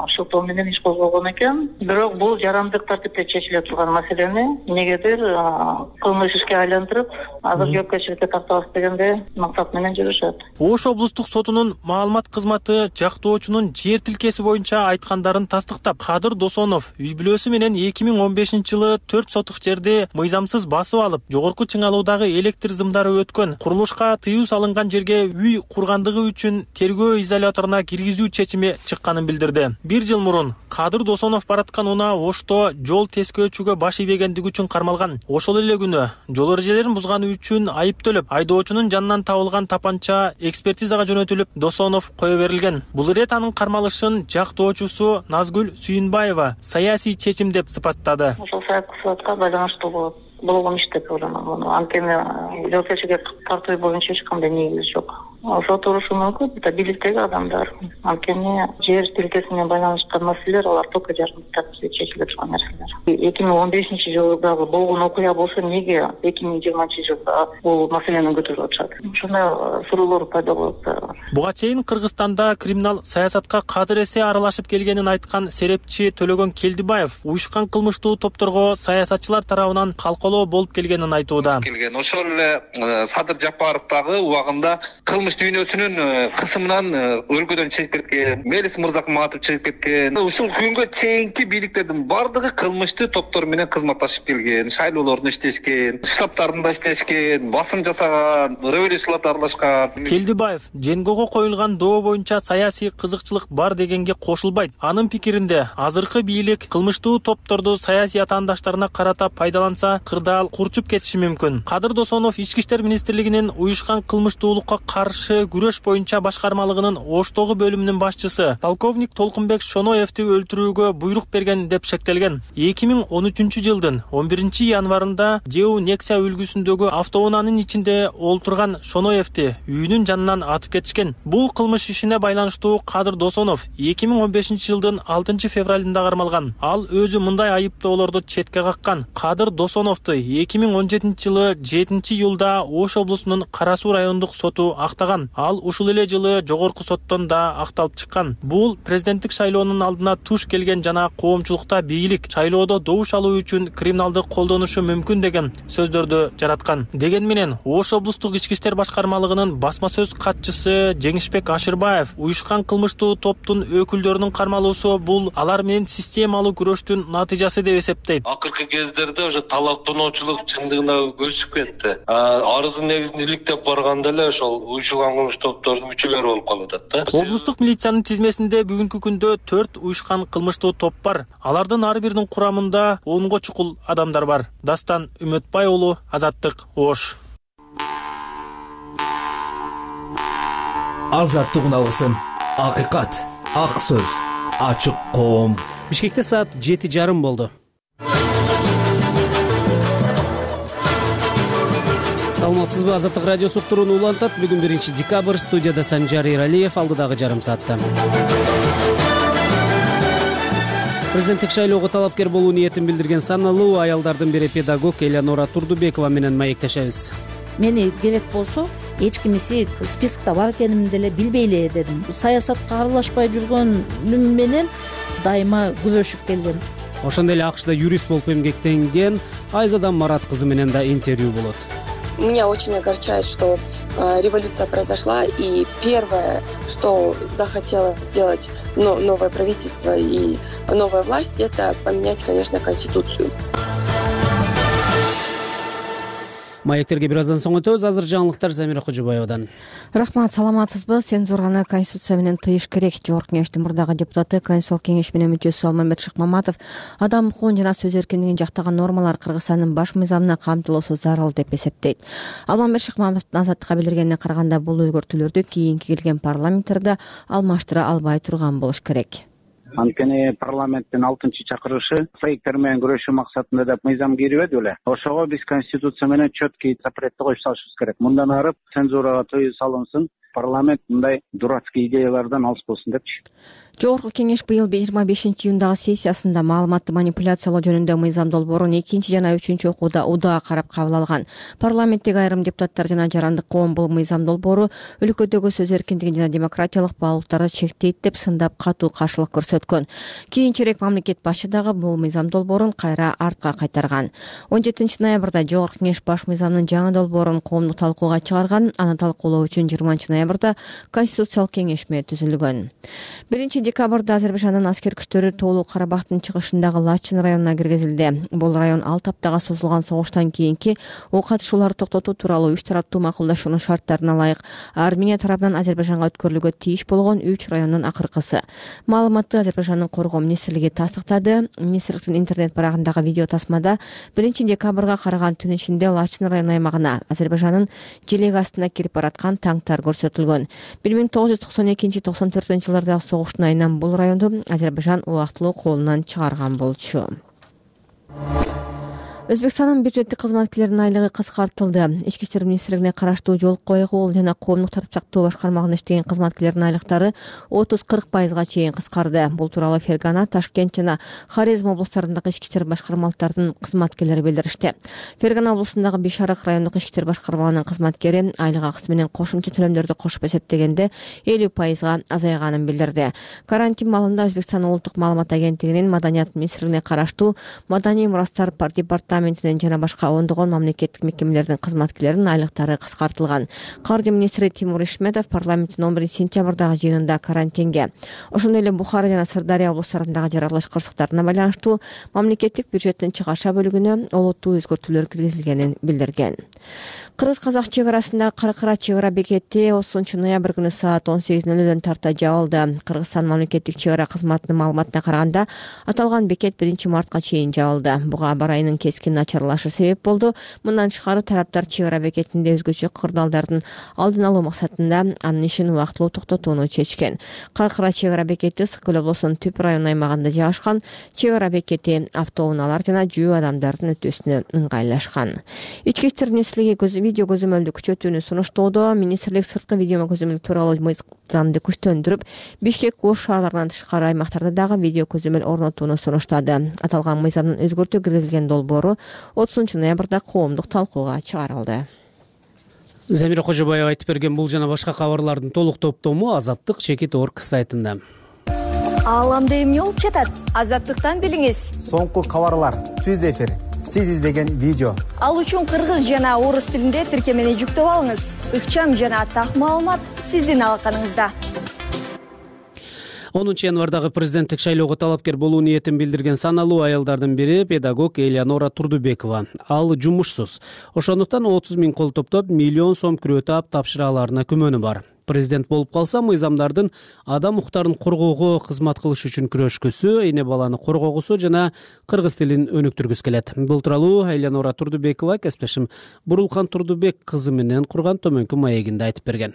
шылтоо менен иш козголгон экен. Бирок бул жарандык тартипте чечиле турган маселени эмнегедир кылмыш ишке айлантырып, азыр жоопкерчиликке тартабыз дегенде максат менен жүрүшөт. Ош облустук сотунун маалымат кызматы жактоочунун жер тилкеси боюнча айткандарын тастыктап, Кадыр Досонов үй бүлөсү менен эки миң он бешинчи жылы төрт сотук жерди мыйзамсыз басып алып, жогорку чыңалуудагы электр зымдары өткөн, курулушка тыюу салынган жерге үй кургандыгы үчүн тергөө изоляторуна киргизүү чечими чыкканын билдирди. Бир жыл мурун Кадыр Досонов бараткан унаа Ошто жол тескөөчүгө баш ийбегендиги үчүн кармалган. Ошол эле күнү жол эрежелерин бузганы үчүн айып төлөп, айдоочунун жанынан табылган тапанча экспертизага жөнөтүлүп, Досонов кое берилген. Бул ирет анын кармалышын жактоочусу Назгүл Сүйүнбаева саясий чечим деп сыпаттады. Ошол саясатка байланыштуу болот. болгон иш деп ойлойм. Анткени жоопкерчиликке тартуу боюнча эч кандай негиз жок. Ошо турушу мүмкүн, это бийликтеги адамдар. Анткени жер тилкесине байланышкан маселелер алар только жарандык тартипте чечилип турган нерселер. эки миң он бешинчи жылдагы болгон окуя болсо эмнеге эки миң жыйырманчы жылда бул маселени көтөрүп атышат? Ошондой суроолор пайда болот. Буга чейин Кыргызстанда криминал саясатка кадыр эсе аралашып келгенин айткан серепчи Төлөгөн Келдибаев уюшкан кылмыштуу топторго саясатчылар тарабынан калкалоо болуп келгенин айтууда. Ошол эле Садыр Жапаров дагы убагында кылмыш дүйнөсүнүн кысымынан өлкөдөн чыгып кеткен, Мелис Мырзакматов чыгып кеткен. Ушул күнгө чейинки бийликтердин бардыгы кылмыштуу топтор менен кызматташып келген, шайлоолордун иштешкен, штабтарында иштешкен, басым жасаган, революцияларда аралашкан. Келдибаев Женгого коюлган доо боюнча саясий кызыкчылык бар дегенге кошулбайт. Анын пикиринде азыркы бийлик кылмыштуу топторду саясий атаандаштарына карата пайдаланса, кырдаал курчуп кетиши мүмкүн. Кадыр Досонов Ички иштер министрлигинин уюшкан кылмыштуулукка каршы каршы күрөш боюнча башкармалыгынын Оштогу бөлүмүнүн башчысы полковник Толкунбек Шоноевди өлтүрүүгө буйрук берген деп шектелген. эки миң он үчүнчү жылдын он биринчи январында Деу Нексия үлгүсүндөгү автоунаанын ичинде олтурган Шоноевди үйүнүн жанынан атып кетишкен. Бул кылмыш ишине байланыштуу Кадыр Досонов эки миң он бешинчи жылдын алтынчы февралында кармалган. Ал өзү мындай айыптоолорду четке каккан. Кадыр Досоновду эки миң он жетинчи жылы жетинчи июлда Ош облусунун Кара Суу райондук соту актаган. Ал ушул эле жылы жогорку соттон да акталып чыккан. Бул президенттик шайлоонун алдына туш келген жана коомчулукта бийлик шайлоодо добуш алуу үчүн криминалды колдонушу мүмкүн деген сөздөрдү жараткан. Деген менен Ош облустук ички иштер башкармалыгынын басма сөз катчысы Жеңишбек Ашырбаев уюшкан кылмыштуу топтун өкүлдөрүнүн кармалуусу бул алар менен системалуу күрөштүн натыйжасы деп эсептейт. Акыркы кездерде уже талаптоочулук чындыгына өсүп кетти. Арыздын негизин иликтеп барганда эле ошол уюшулган кылмыш топтордун мүчөлөрү болуп калып атат да. Облустук милициянын тизмесинде бүгүнкү күндө төрт уюшкан кылмыштуу топ бар. Алардын ар биринин курамында онго чукул адамдар бар. Дастан Үмөтбай уулу, Азаттык, Ош. Азаттык уналысын. Акыйкат, ак сөз, ачык коом. Бишкекте саат жети жарым болду. Саламатсызбы, Азаттык радиосу уктуруун улантат. Бүгүн биринчи декабрь, студияда Санжар Эралиев, алдыдагы жарым саатта. Президенттик шайлоого талапкер болуу ниетин билдирген саналуу аялдардын бири педагог Элеонора Турдубекова менен маектешебиз. Мени керек болсо эч кимиси спискта бар экенимди деле билбей эле дедим. Саясатка аралашпай жүргөнүм менен дайыма күрөшүп келгем. Ошондой эле АКШда юрист болуп эмгектенген Айзадан Марат кызы менен да интервью болот. Меня очень огорчает, что э, революция произошла, и первое, что захотело сделать но, новое правительство и новая власть, это поменять, конечно, Конституцию. Маектерге бир аздан соң өтөбүз. Азыр жаңылыктар Замира Кожобаевадан. Рахмат, саламатсызбы? Цензураны Конституция менен тыйыш керек. Жогорку кеңештин мурдагы депутаты, Конституциялык кеңеш менен мүчөсү Алмамбет Шыкмаматов адам укугун жана сөз эркиндигин жактаган нормалар Кыргызстандын баш мыйзамына камтылуусу зарыл деп эсептейт. Алмамбет Шыкмаматовдун Азаттыкка билдиргенине караганда, бул өзгөртүүлөрдү кийинки келген парламенттерде алмаштыра албай турган болуш керек. Анткени парламенттин алтынчы чакырышы фейктер менен күрөшүү максатында деп мыйзам кирбеди беле. Ошого биз Конституция менен четкий запретти коюп салышыбыз керек. Мындан ары цензурага тыюу салынсын, парламент мындай дурацкий идеялардан алыс болсун депчи. Жогорку кеңеш быйыл жыйырма бешинчи июндагы сессиясында маалыматты манипуляциялоо жөнүндө мыйзам долбоорун экинчи жана үчүнчү окууда удаа карап кабыл алган. Парламенттеги айрым депутаттар жана жарандык коом бул мыйзам долбоору өлкөдөгү сөз эркиндигин жана демократиялык баалуулуктарды чектейт деп сындап катуу каршылык көрсөткөн. Кийинчерээк мамлекет башы дагы бул мыйзам долбоорун кайра артка кайтарган. он жетинчи ноябрда жогорку кеңеш баш мыйзамдын жаңы долбоорун коомдук талкууга чыгарган. Аны талкуулоо үчүн жыйырманчы ноябрда Конституциялык кеңешме түзүлгөн. биринчи декабрда Азербайжандын аскер күчтөрү Тоолуу Карабактын чыгышындагы Лачын районуна киргизилди. Бул район алты аптага созулган согуштан кийинки ок атышууларды токтотуу тууралуу үч тараптуу макулдашуунун шарттарына ылайык Армения тарабынан Азербайжанга өткөрүлүүгө тийиш болгон үч райондун акыркысы. Маалыматты Азербайжандын коргоо министрлиги тастыктады. Министрликтин интернет барагындагы видео тасмада биринчи декабрга караган түн ичинде Лачын району аймагына Азербайжандын желек астына кирип бараткан танктар көрсөтүлгөн. бир миң тогуз жүз токсон экинчи токсон төртүнчү жылдардагы согуштун айынан бул районду Азербайжан убактылуу колунан чыгарган болчу. Өзбекстандын бюджеттик кызматкерлеринин айлыгы кыскартылды. Ички иштер министрлигине караштуу жол койгул жана коомдук тартип сактоо башкармалыгында иштеген кызматкерлердин айлыктары отуз кырк пайызга чейин кыскарды. Бул тууралуу Фергана, Ташкент жана Хорезм облустарындагы ички иштер башкармалыктардын кызматкерлери билдиришти. Фергана облусундагы Бишарык райондук ички иштер башкармалыгынын кызматкери айлык акысы менен кошумча төлөмдөрдү кошуп эсептегенде элүү пайызга азайганын билдирди. Карантин маалында Өзбекстандын улуттук маалымат агенттигинин Маданият министрлигине караштуу Маданий мурастар департаментинин жана башка ондогон мамлекеттик мекемелердин кызматкерлеринин айлыктары кыскартылган. Каржы министри Тимур Ишметов парламенттин он биринчи сентябрдагы жыйынында карантинге, ошондой эле Бухара жана Сырдария облустарындагы жаралыш кырсыктарына байланыштуу мамлекеттик бюджеттин чыгаша бөлүгүнө олуттуу өзгөртүүлөр киргизилгенин билдирген. кыргыз казак чек арасындагы Каракара чек ара бекети отузунчу ноябрь күнү саат он сегиз ноль нөлдөн тарта жабылды. Кыргызстан мамлекеттик чек ара кызматынын маалыматына караганда аталган бекет биринчи мартка чейин жабылды. Буга аба ырайынын кескин начарлашы себеп болду. Мындан тышкары тараптар чек ара бекетинде өзгөчө кырдаалдардын алдын алуу максатында анын ишин убактылуу токтотууну чечкен. Каракара чек ара бекети Ысык көл облусунун Түп район аймагында жайгашкан. Чек ара бекети автоунаалар жана жөө адамдардын өтүүсүнө ыңгайлашкан. Ички иштер министрлиги видео көзөмөлдү күчөтүүнү сунуштоодо. Министрлик сырткы видео көзөмөл тууралуу мыйзамды күчтөндүрүп, Бишкек Ош шаарларынан тышкары аймактарда дагы видео көзөмөл орнотууну сунуштады. Аталган мыйзамдын өзгөртүү киргизилген долбоору отузунчу ноябрда коомдук талкууга чыгарылды. Замира Кожобаева айтып берген бул жана башка кабарлардын толук топтому Азаттык чекит точка орг сайтында. Ааламда эмне болуп жатат? Азаттыктан билиңиз. Соңку кабарлар, түз эфир, сиз издеген видео. Ал үчүн кыргыз жана орус тилинде тиркемени жүктөп алыңыз. Ыкчам жана так маалымат сиздин алаканыңызда. онунчу январдагы президенттик шайлоого талапкер болуу ниетин билдирген саналуу аялдардын бири педагог Элеонора Турдубекова. Ал жумушсуз. Ошондуктан отуз миң кол топтоп миллион сом күрөө таап тапшыра аларына күмөнү бар. Президент болуп калса, мыйзамдардын адам укуктарын коргоого кызмат кылыш үчүн күрөшкүсү, эне баланы коргогусу жана кыргыз тилин өнүктүргүсү келет. Бул тууралуу Элеонора Турдубекова кесиптешим Бурулкан Турдубек кызы менен курган төмөнкү маегинде айтып берген.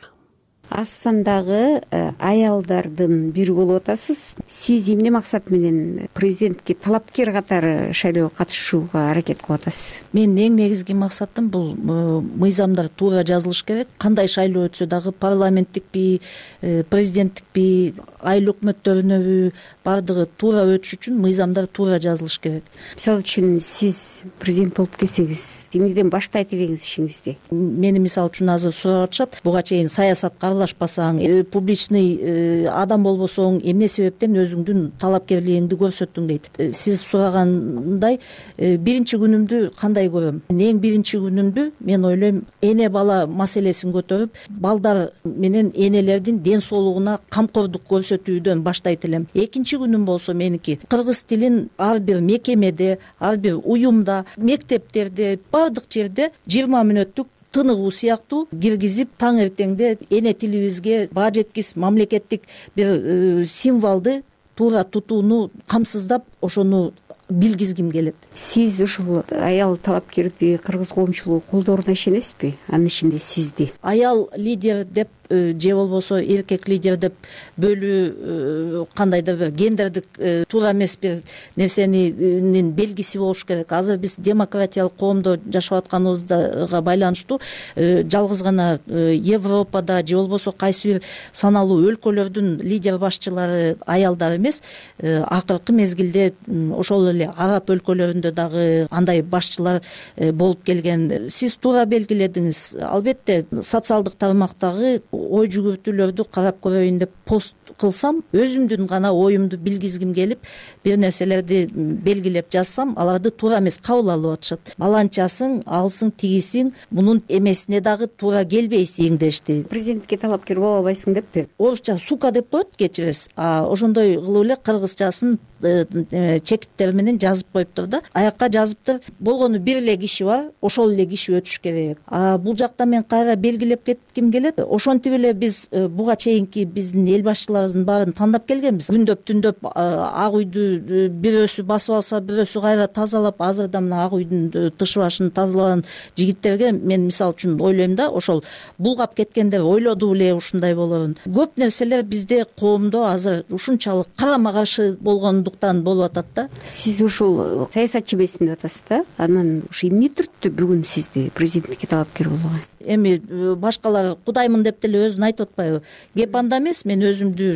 Астандагы аялдардын бири болуп атасыз. Сиз эмне максат менен президентке талапкер катары шайлоого катышууга аракет кылып атасыз? Мен эң негизги максатым бул мыйзамдар туура жазылыш керек. Кандай шайлоо өтсө дагы парламенттикпи, президенттикпи, айыл өкмөттөрүнөбү бардыгы туура өтүш үчүн мыйзамдар туура жазылыш керек. Мисалы үчүн сиз президент болуп келсеңиз, эмнеден баштайт элеңиз ишиңизди? Мени мисалы үчүн азыр сурап атышат. Буга чейин саясатка аралашпасаң, публичный адам болбосоң, эмне себептен өзүңдүн талапкерлигиңди көрсөттүң дейт. Сиз сурагандай, биринчи күнүмдү кандай көрөм? Эң биринчи күнүмдү мен ойлойм, эне бала маселесин көтөрүп, балдар менен энелердин ден соолугуна камкордук көрсөтүүдөн баштайт элем. Экинчи күнүм болсо меники кыргыз тилин ар бир мекемеде, ар бир уюмда, мектептерде, бардык жерде жыйырма мүнөттүк тыныгуу сыяктуу киргизип, таң эртеңде эне тилибизге баа жеткис мамлекеттик бир символду туура тутууну камсыздап, ошону билгизгим келет. Сиз ушул аял талапкерди кыргыз коомчулугу колдооруна ишенесизби? Анын ичинде сизди. Аял лидер деп же болбосо эркек лидер деп бөлүү кандайдыр бир гендердик туура эмес бир нерсенин белгиси болуш керек. Азыр биз демократиялык коомдо жашап атканыбызга байланыштуу жалгыз гана Европада же болбосо кайсы бир саналуу өлкөлөрдүн лидер башчылары аялдар эмес, акыркы мезгилде ошол эле араб өлкөлөрүндө дагы андай башчылар болуп келген. Сиз туура белгиледиңиз. Албетте социалдык тармактагы ой жүгүртүүлөрдү карап көрөйүн деп пост кылсам, өзүмдүн гана оюмду билгизгим келип, бир нерселерди белгилеп жазсам, аларды туура эмес кабыл алып атышат. Баланчасың, алсың, тигисиң, мунун эмесине дагы туура келбейсиң дешти. Президентке талапкер боло албайсың деппи? Орусча сука деп коет, кечиресиз. А ошондой кылып эле кыргызчасын чекиттер менен жазып коюптур да. Аякка жазыптыр. Болгону бир эле киши бар, ошол эле киши өтүш керек. А бул жакта мен кайра белгилеп кетким келет. Ошентип эле биз буга чейинки биздин эл башчыларыбыздын баарын тандап келгенбиз. Күндөп түндөп ак үйдү бирөөсү басып алса, бирөөсү кайра тазалап, азыр да мына ак үйдүн тыш башын тазалаган жигиттерге мен мисалы үчүн ойлойм да, ошол булгап кеткендер ойлоду эле ушундай болорун. Көп нерселер бизде коомдо азыр ушунчалык карама каршы болгондуктан болуп атат да. Сиз ушул саясатчы эмесмин деп атасыз да. Анан ушу эмне түрттү бүгүн сизди президентке талапкер болгон? Эми башкалар кудаймын деп деле өзүн айтып атпайбы? Кеп анда эмес, мен өзүмдү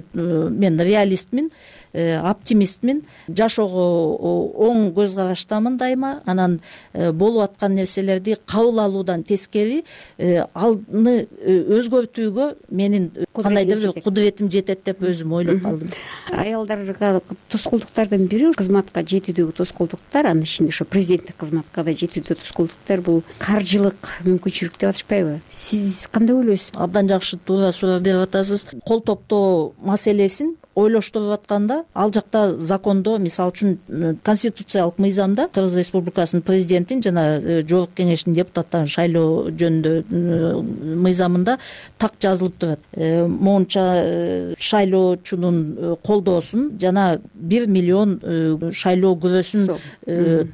мен реалистмин, оптимистмин. Жашоого оң көз караштамын дайыма. Анан болуп аткан нерселерди кабыл алуудан тескери аны өзгөртүүгө менин кандайдыр бир кудуретим жетет деп өзүм ойлоп калдым. Аялдарга тоскоолдуктардын бири кызматка жетүүдөгү тоскоолдуктар, анын ичинде ошо президенттик кызматка да жетүүдө тоскоолдуктар бул каржылык мүмкүнчүлүк деп атышпайбы? Сиз кандай ойлойсуз? Абдан жакшы туура суроо берип атасыз. Кол топтоо маселесин ойлоштуруп атканда ал жакта закондо, мисалы үчүн конституциялык мыйзамда Кыргыз Республикасынын президентин жана жогорку кеңештин депутаттарын шайлоо жөнүндө мыйзамында так жазылып турат. Моунча шайлоочунун колдоосун жана бир миллион шайлоо күрөсүн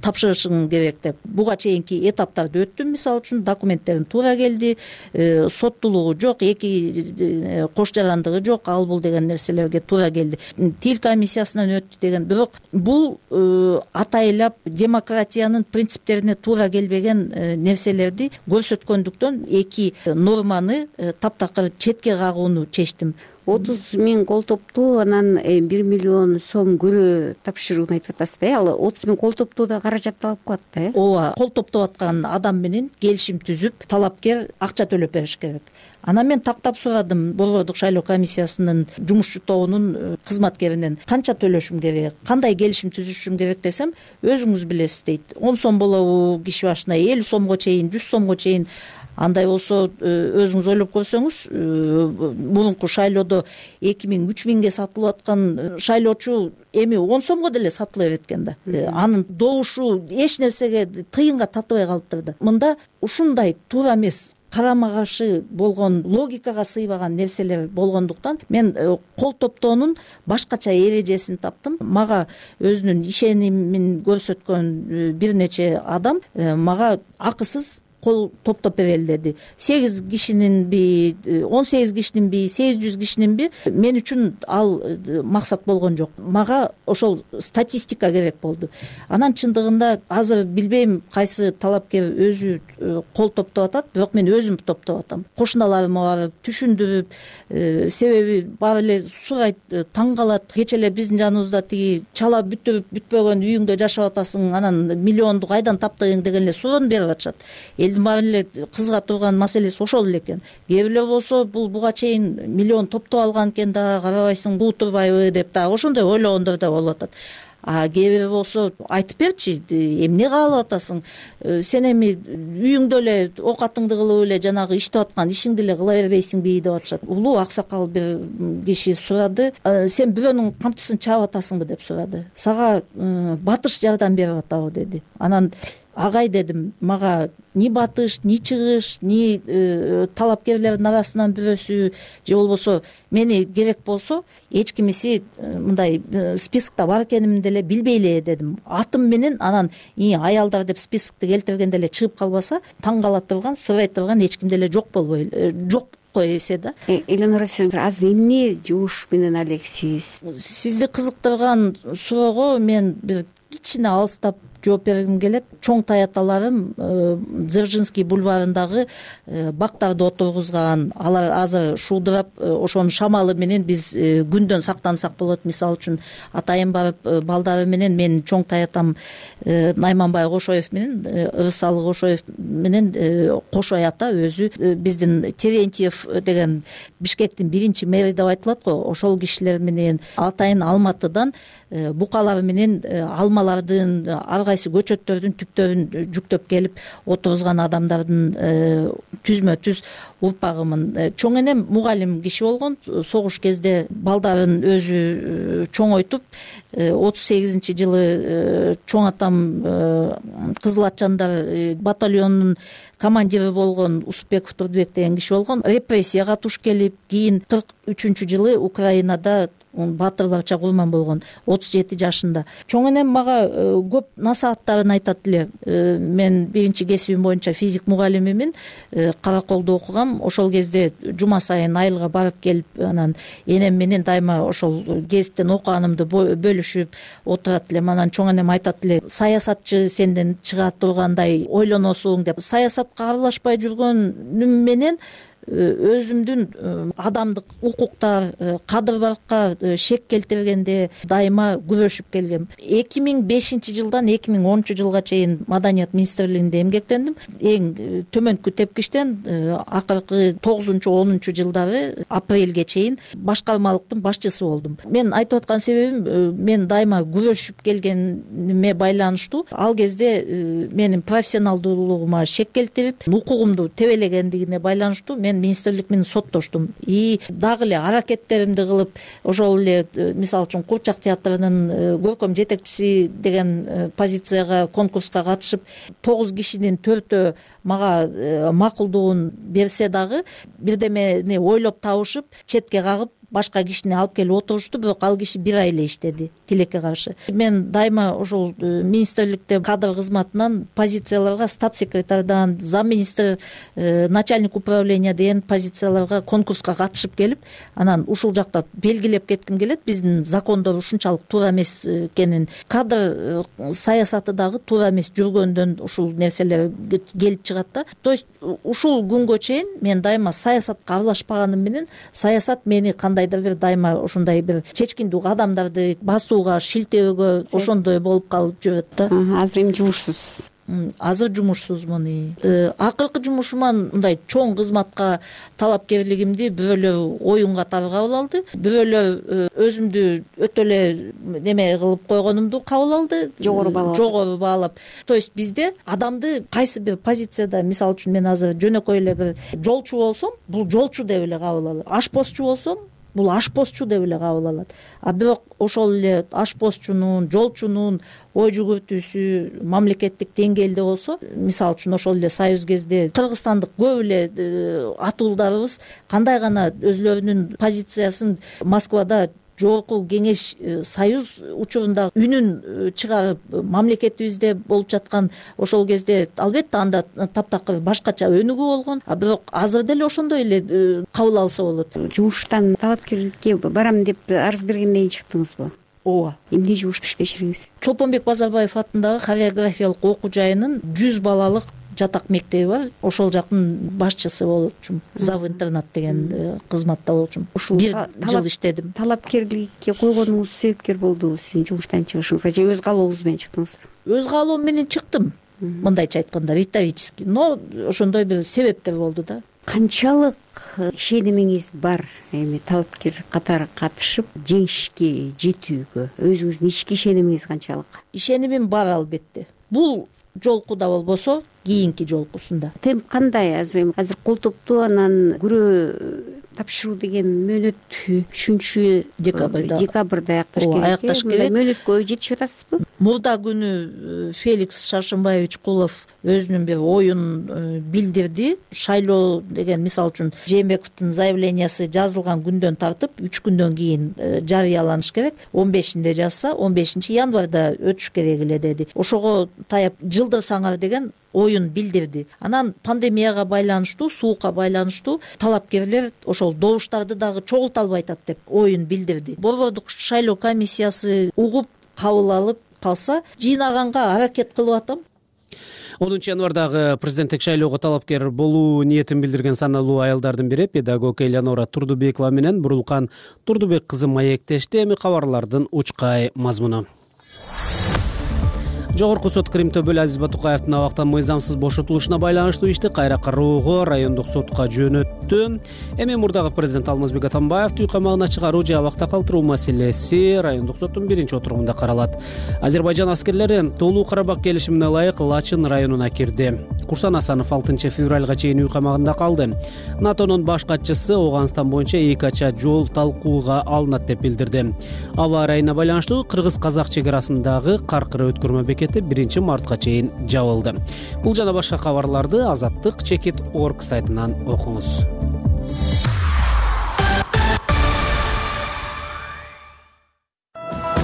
тапшырышың керек деп. Буга чейинки этаптарды өттүм, мисалы үчүн документтерин туура келди, соттуулугу жок, эки кош жарандыгы жок, ал бул деген нерселерге туура келди. Тил комиссиясынан өттү деген. Бирок бул атайлап демократиянын принциптерине туура келбеген нерселерди көрсөткөндүктөн эки норманы таптакыр четке кагууну чечтим. отуз миң кол топтуу, анан бир миллион сом көрө тапшырууну айтып атасыз да. Ал отуз миң кол топтоодо каражат алып калат да, э? Ооба, кол топтоп аткан адам менен келишим түзүп, талапкер акча төлөп бериш керек. Анан мен тактап сурадым Борбордук шайлоо комиссиясынын жумушчу тобунун кызматкеринен, канча төлөшүм керек, кандай келишим түзүшүм керек десем, өзүңүз билесиз дейт. он сом болобу киши башына, элүү сомго чейин, жүз сомго чейин. Андай болсо өзүңүз ойлоп көрсөңүз, мурунку шайлоодо эки миң үч миңге сатылып аткан шайлоочу эми он сомго деле сатыла берет экен да. Анын добушу эч нерсеге тыйынга татыбай калыптыр да. Мында ушундай туура эмес, карама каршы болгон, логикага сыйбаган нерселер болгондуктан мен кол топтоонун башкача эрежесин таптым. Мага өзүнүн ишенимин көрсөткөн бир нече адам мага акысыз кол топтоп берели деди. сегиз кишининби, он сегиз кишининби, сегиз жүз кишининби, мен үчүн ал максат болгон жок. Мага ошол статистика керек болду. Анан чындыгында азыр билбейм кайсы талапкер өзү кол топтоп атат, бирок мен өзүм топтоп атам. Кошуналарыма барып түшүндүрүп, себеби баары эле сурайт, таң калат. Кече эле биздин жаныбызда тиги чала бүтүрүп бүтпөгөн үйүңдө жашап атасың, анан миллионду кайдан таптың деген эле суроону берип атышат. Элдин баары эле кызыга турган маселеси ошол эле экен. Кээ бирлер болсо бул буга чейин миллион топтоп алган экен да, карабайсың, куу турбайбы деп да ошондой ойлогондор да болуп атат. А кээ бир болсо айтып берчи, эмне каалап атасың, сен эми үйүңдө эле оокатыңды кылып эле жанагы иштеп аткан ишиңди эле кыла бербейсиңби деп атышат. Улуу аксакал бир киши сурады, сен бирөөнүн камчысын чаап атасыңбы деп сурады. Сага батыш жардам берип атабы деди. Анан агай дедим, мага ни батыш, ни чыгыш, ни э, талапкерлердин арасынан бирөөсү же болбосо мени керек болсо эч кимиси э, мындай э, спискта бар экенимди деле билбей эле дедим. Атым менен анан и аялдар деп спискти келтиргенде эле чыгып калбаса, таң кала турган, сырай турган эч ким деле жок болбой э, жок кой эсе да. Элнура, сиз азыр эмне жумуш менен алексиз? Сизди кызыктырган суроого мен бир кичине алыстап жооп бергим келет. Чоң таяталарым Дзержинский бульварындагы бактарды отургузган, алар азыр шуудурап, ошонун шамалы менен биз күндөн сактансак болот. Мисалы үчүн атайын барып балдары менен, менин чоң таятам Найманбай Кошоев менен, Ырысалы Кошоев менен Кошой ата өзү биздин Терентьев деген Бишкектин биринчи мэри деп айтылат го, ошол кишилер менен атайын Алматыдан букалар менен алмалардын, ар кайсы көчөттөрдүн түптөрүн жүктөп келип отургузган адамдардын түзмө түз урпагымын. Чоң энем мугалим киши болгон, согуш кезде балдарын өзү чоңойтуп, отуз сегизинчи жылы чоң атам Кызыл Атчандар батальонунун командири болгон Усупбеков Турдубек деген киши болгон. Репрессияга туш келип, кийин кырк үчүнчү жылы Украинада баатырларча курман болгон, отуз жети жашында. Чоң энем мага көп насааттарын айтат эле. Мен биринчи кесибим боюнча физик мугалимимин, Караколдо окугам. Ошол кезде жума сайын айылга барып келип, анан энем менен дайыма ошол гезиттен окуганымды бөлүшүп отурат элем. Анан чоң энем айтат эле, саясатчы сенден чыга тургандай ойлоносуң деп. Саясатка аралашпай жүргөнүм менен өзүмдүн адамдык укуктар, кадыр-баракка шек келтиргенде дайыма күрөшүп келгем. эки миң бешинчи жылдан эки миң онунчу жылга чейин Маданият министрлигинде эмгектендим. Эң төмөнкү тепкичтен акыркы тогузунчу онунчу жылдары апрелге чейин башкармалыктын башчысы болдум. Мен айтып аткан себебим, мен дайыма күрөшүп келгениме байланыштуу. Ал кезде менин профессионалдуулугума шек келтирип, укугумду тебелегендигине байланыштуу мен мен министрлик менен соттоштум и дагы эле аракеттеримди кылып ошол эле мисалы үчүн Курчак театрынын көркөм жетекчиси деген позицияга конкурска катышып тогуз кишинин төртөө мага макулдугун берсе дагы бирдемени ойлоп табышып четке кагып башка кишини алып келип отурушту, бирок ал киши бир ай эле иштеди тилекке каршы. Мен дайыма ошол министрликте кадр кызматынан позицияларга стат секретардан, зам министр, начальник управления деген позицияларга конкурска катышып келип, анан ушул жакта белгилеп кетким келет. Биздин закондор ушунчалык туура эмес экенин, кадр саясаты дагы туура эмес жүргөндөн ушул нерселер келип чыгат да. То есть ушул күнгө чейин мен дайыма саясатка аралашпаганым менен саясат мени кандайдыр бир дайыма ошондой бир чечкиндүү кадамдарды басууга, шилтөөгө ошондой болуп калып жүрөт да. Азыр эми жумушсуз. Азыр жумушсузмун. Акыркы жумушуман мындай чоң кызматка талапкерлигимди бирөөлөр оюн катары кабыл алды, бирөөлөр өзүмдү өтө эле неме кылып койгонумду кабыл алды, жогору баалап. Жогору баалап. То есть бизде адамды кайсы бир позицияда, мисалы үчүн мен азыр жөнөкөй эле бир жолчу болсом, бул жолчу деп эле кабыл алат. Ашпозчу болсом, бул ашпозчу деп эле кабыл алат. А бирок ошол эле ашпозчунун, жолчунун ой жүгүртүүсү мамлекеттик деңгээлде болсо, мисалы үчүн ошол эле союз кезде кыргызстандык көп эле атуулдарыбыз кандай гана өзлөрүнүн позициясын Москвада жогорку кеңеш союз учурунда үнүн чыгарып мамлекетибизде болуп жаткан ошол кезде албетте анда таптакыр башкача өнүгүү болгон, а бирок азыр деле ошондой эле кабыл алса болот. Жумуштан талапкерликке барам деп арыз бергенден кийин чыктыңызбы? Ооба. Эмне жумуш иштешиңиз? Чолпонбек Базарбаев атындагы хореографиялык окуу жайынын жүз балалык жатак мектеби бар. Ошол жактын башчысы болчумун. Зав интернат деген кызматта болчумун. Бир жыл иштедим. Талапкерликке койгонуңуз себепкер болду сиздин жумуштан чыгышыңызга же өз каалооңуз менен чыктыңызбы? Өз каалоом менен чыктым. Мындайча айтканда, риторический, но ошондой бир себептер болду да. Канчалык ишенимиңиз бар эми талапкер катары катышып жеңишке жетүүгө? Өзүңүздүн ички ишенимиңиз канчалык? Ишенимим бар албетте. Бул жолкуда болбосо кийинки жолкусунда. Темп кандай азыр? Азыр колтукту анан күрөө тапшыруу деген мөөнөт үчүнчү декабрда декабрда аякташ керек. Аякташ керек. Мөөнөткө жетишип атасызбы? Мурда күнү Феликс Шаршымбаевич Кулов өзүнүн бир оюн билдирди. Шайлоо деген, мисалы үчүн, Жээнбековдун заявлениясы жазылган күндөн тартып үч күндөн кийин жарыяланыш керек. он бешинде жазса, он бешинчи январда өтүш керек эле деди. Ошого таяп жылдырсаңар деген оюн билдирди. Анан пандемияга байланыштуу, суукка байланыштуу талапкерлер ошол добуштарды дагы чогулта албай атат деп оюн билдирди. Борбордук шайлоо комиссиясы угуп кабыл алып калса, жыйнаганга аракет кылып атам. онунчу январдагы президенттик шайлоого талапкер болуу ниетин билдирген саналуу аялдардын бири педагог Элеонора Турдубекова менен Бурулкан Турдубек кызы маектешти. Эми кабарлардын учкай мазмуну. Жогорку сот Крим Төбөл Азиз Батукаевдин абактан мыйзамсыз бошотулушуна байланыштуу ишти кайра кароого райондук сотко жөнөттү. Эми мурдагы президент Алмазбек Атамбаевди үй камагына чыгаруу же абакта калтыруу маселеси райондук соттун биринчи отурумунда каралат. Азербайжан аскерлери толуу Карабак келишимине ылайык Лачын районуна кирди. Курсан Асанов алтынчы февралга чейин үй камагында калды. НАТОнун баш катчысы Ооганстан боюнча эки ача жол талкууга алынат деп билдирди. Аба ырайына байланыштуу кыргыз-казак чек арасындагы Каркыра өткөрмө бекети биринчи мартка чейин жабылды. Бул жана башка кабарларды азаттык чекит точка орг сайтынан окуңуз.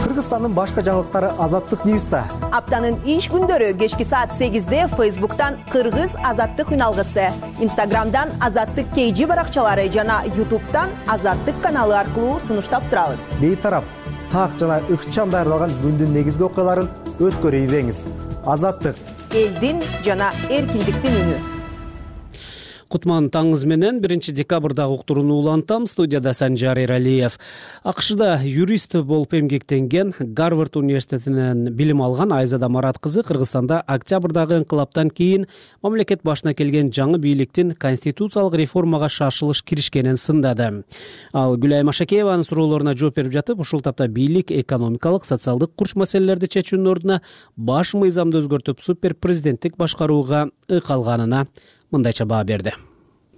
Кыргызстандын башка жаңылыктары Азаттык Ньюста. Аптанын иш күндөрү кечки саат сегизде Фейсбуктан Кыргыз Азаттык үналгысы, Инстаграмдан Азаттык кей жи баракчалары жана Ютубтан Азаттык каналы аркылуу сунуштап турабыз. Бейтарап, так жана ыкчам даярдалган күндүн негизги окуяларын өткөрүп ийбеңиз. Азаттык, элдин жана эркиндиктин үнү. Кутман таңыз менен биринчи декабрдагы уктурууну улантам. Студияда Санжар Эралиев. АКШда юрист болуп эмгектенген, Гарвард университетинен билим алган Айзада Марат кызы Кыргызстанда октябрдагы инкылаптан кийин мамлекет башына келген жаңы бийликтин конституциялык реформага шашылыш киришкенин сындады. Ал Гүлайым Ашакееванын суроолоруна жооп берип жатып, ушул тапта бийлик экономикалык, социалдык курч маселелерди чечүүнүн ордуна баш мыйзамды өзгөртүп супер президенттик башкарууга ыкалганына мындайча баа берди.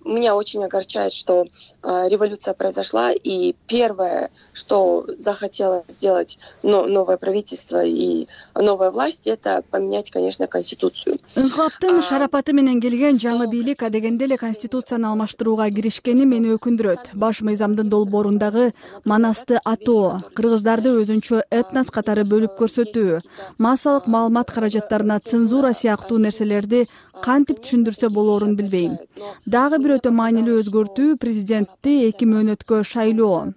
меня очень огорчает, что э, революция произошла, и первое, что захотело сделать но, новое правительство и новая власть, это поменять, конечно, конституцию. Инкылаптын шарапаты менен келген жаңы бийлик адегенде эле конституцияны алмаштырууга киришкени мени өкүндүрөт. Баш мыйзамдын долбоорундагы манасты атоо, кыргыздарды өзүнчө этнос катары бөлүп көрсөтүү, массалык маалымат каражаттарына цензура сыяктуу нерселерди кантип түшүндүрсө болоорун билбейм. Дагы бир өтө маанилүү өзгөртүү президентти эки мөөнөткө шайлоо.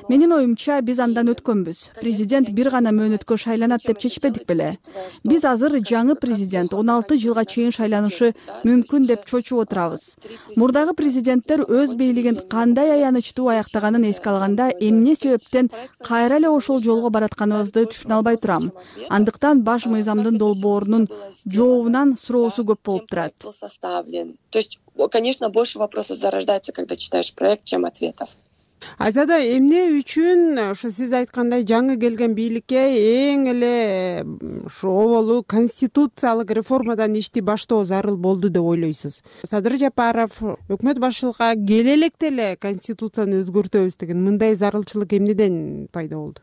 Менин оюмча биз андан өткөнбүз. Президент бир гана мөөнөткө шайланат деп чечпедик беле. Биз азыр жаңы президент он алты жылга чейин шайланышы мүмкүн деп чочуп отурабыз. Мурдагы президенттер өз бийлигин кандай аянычтуу аяктаганын эске алганда эмне себептен кайра эле ошол жолго баратканыбызды түшүнө албай турам. Андыктан баш мыйзамдын долбоорунун жообунан суроосу көп болуп турат. То есть, конечно, больше вопросов зарождается, когда читаешь проект, чем ответов. Айзада, эмне үчүн ошо сиз айткандай жаңы келген бийликке эң эле ушу оболу конституциялык реформадан ишти баштоо зарыл болду деп ойлойсуз? Садыр Жапаров өкмөт башчылыкка келе электе эле конституцияны өзгөртөбүз деген мындай зарылчылык эмнеден пайда болду?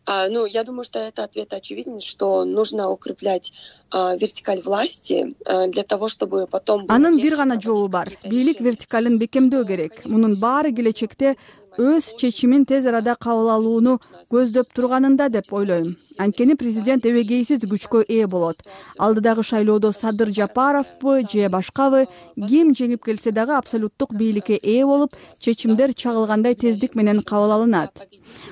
А, ну, я думаю, что это ответ очевиден, что нужно укреплять а, вертикаль власти а, для того, чтобы потом... Анын бир гана жообу бар. Бийлик вертикалын бекемдөө керек. Мунун баары келечекте өз чечимин тез арада кабыл алууну көздөп турганында деп ойлойм. Анткени президент эбегейсиз күчкө ээ болот. Алдыдагы шайлоодо Садыр Жапаровбу же башкабы ким жеңип келсе дагы абсолюттук бийликке ээ болуп, чечимдер чагылгандай тездик менен кабыл алынат.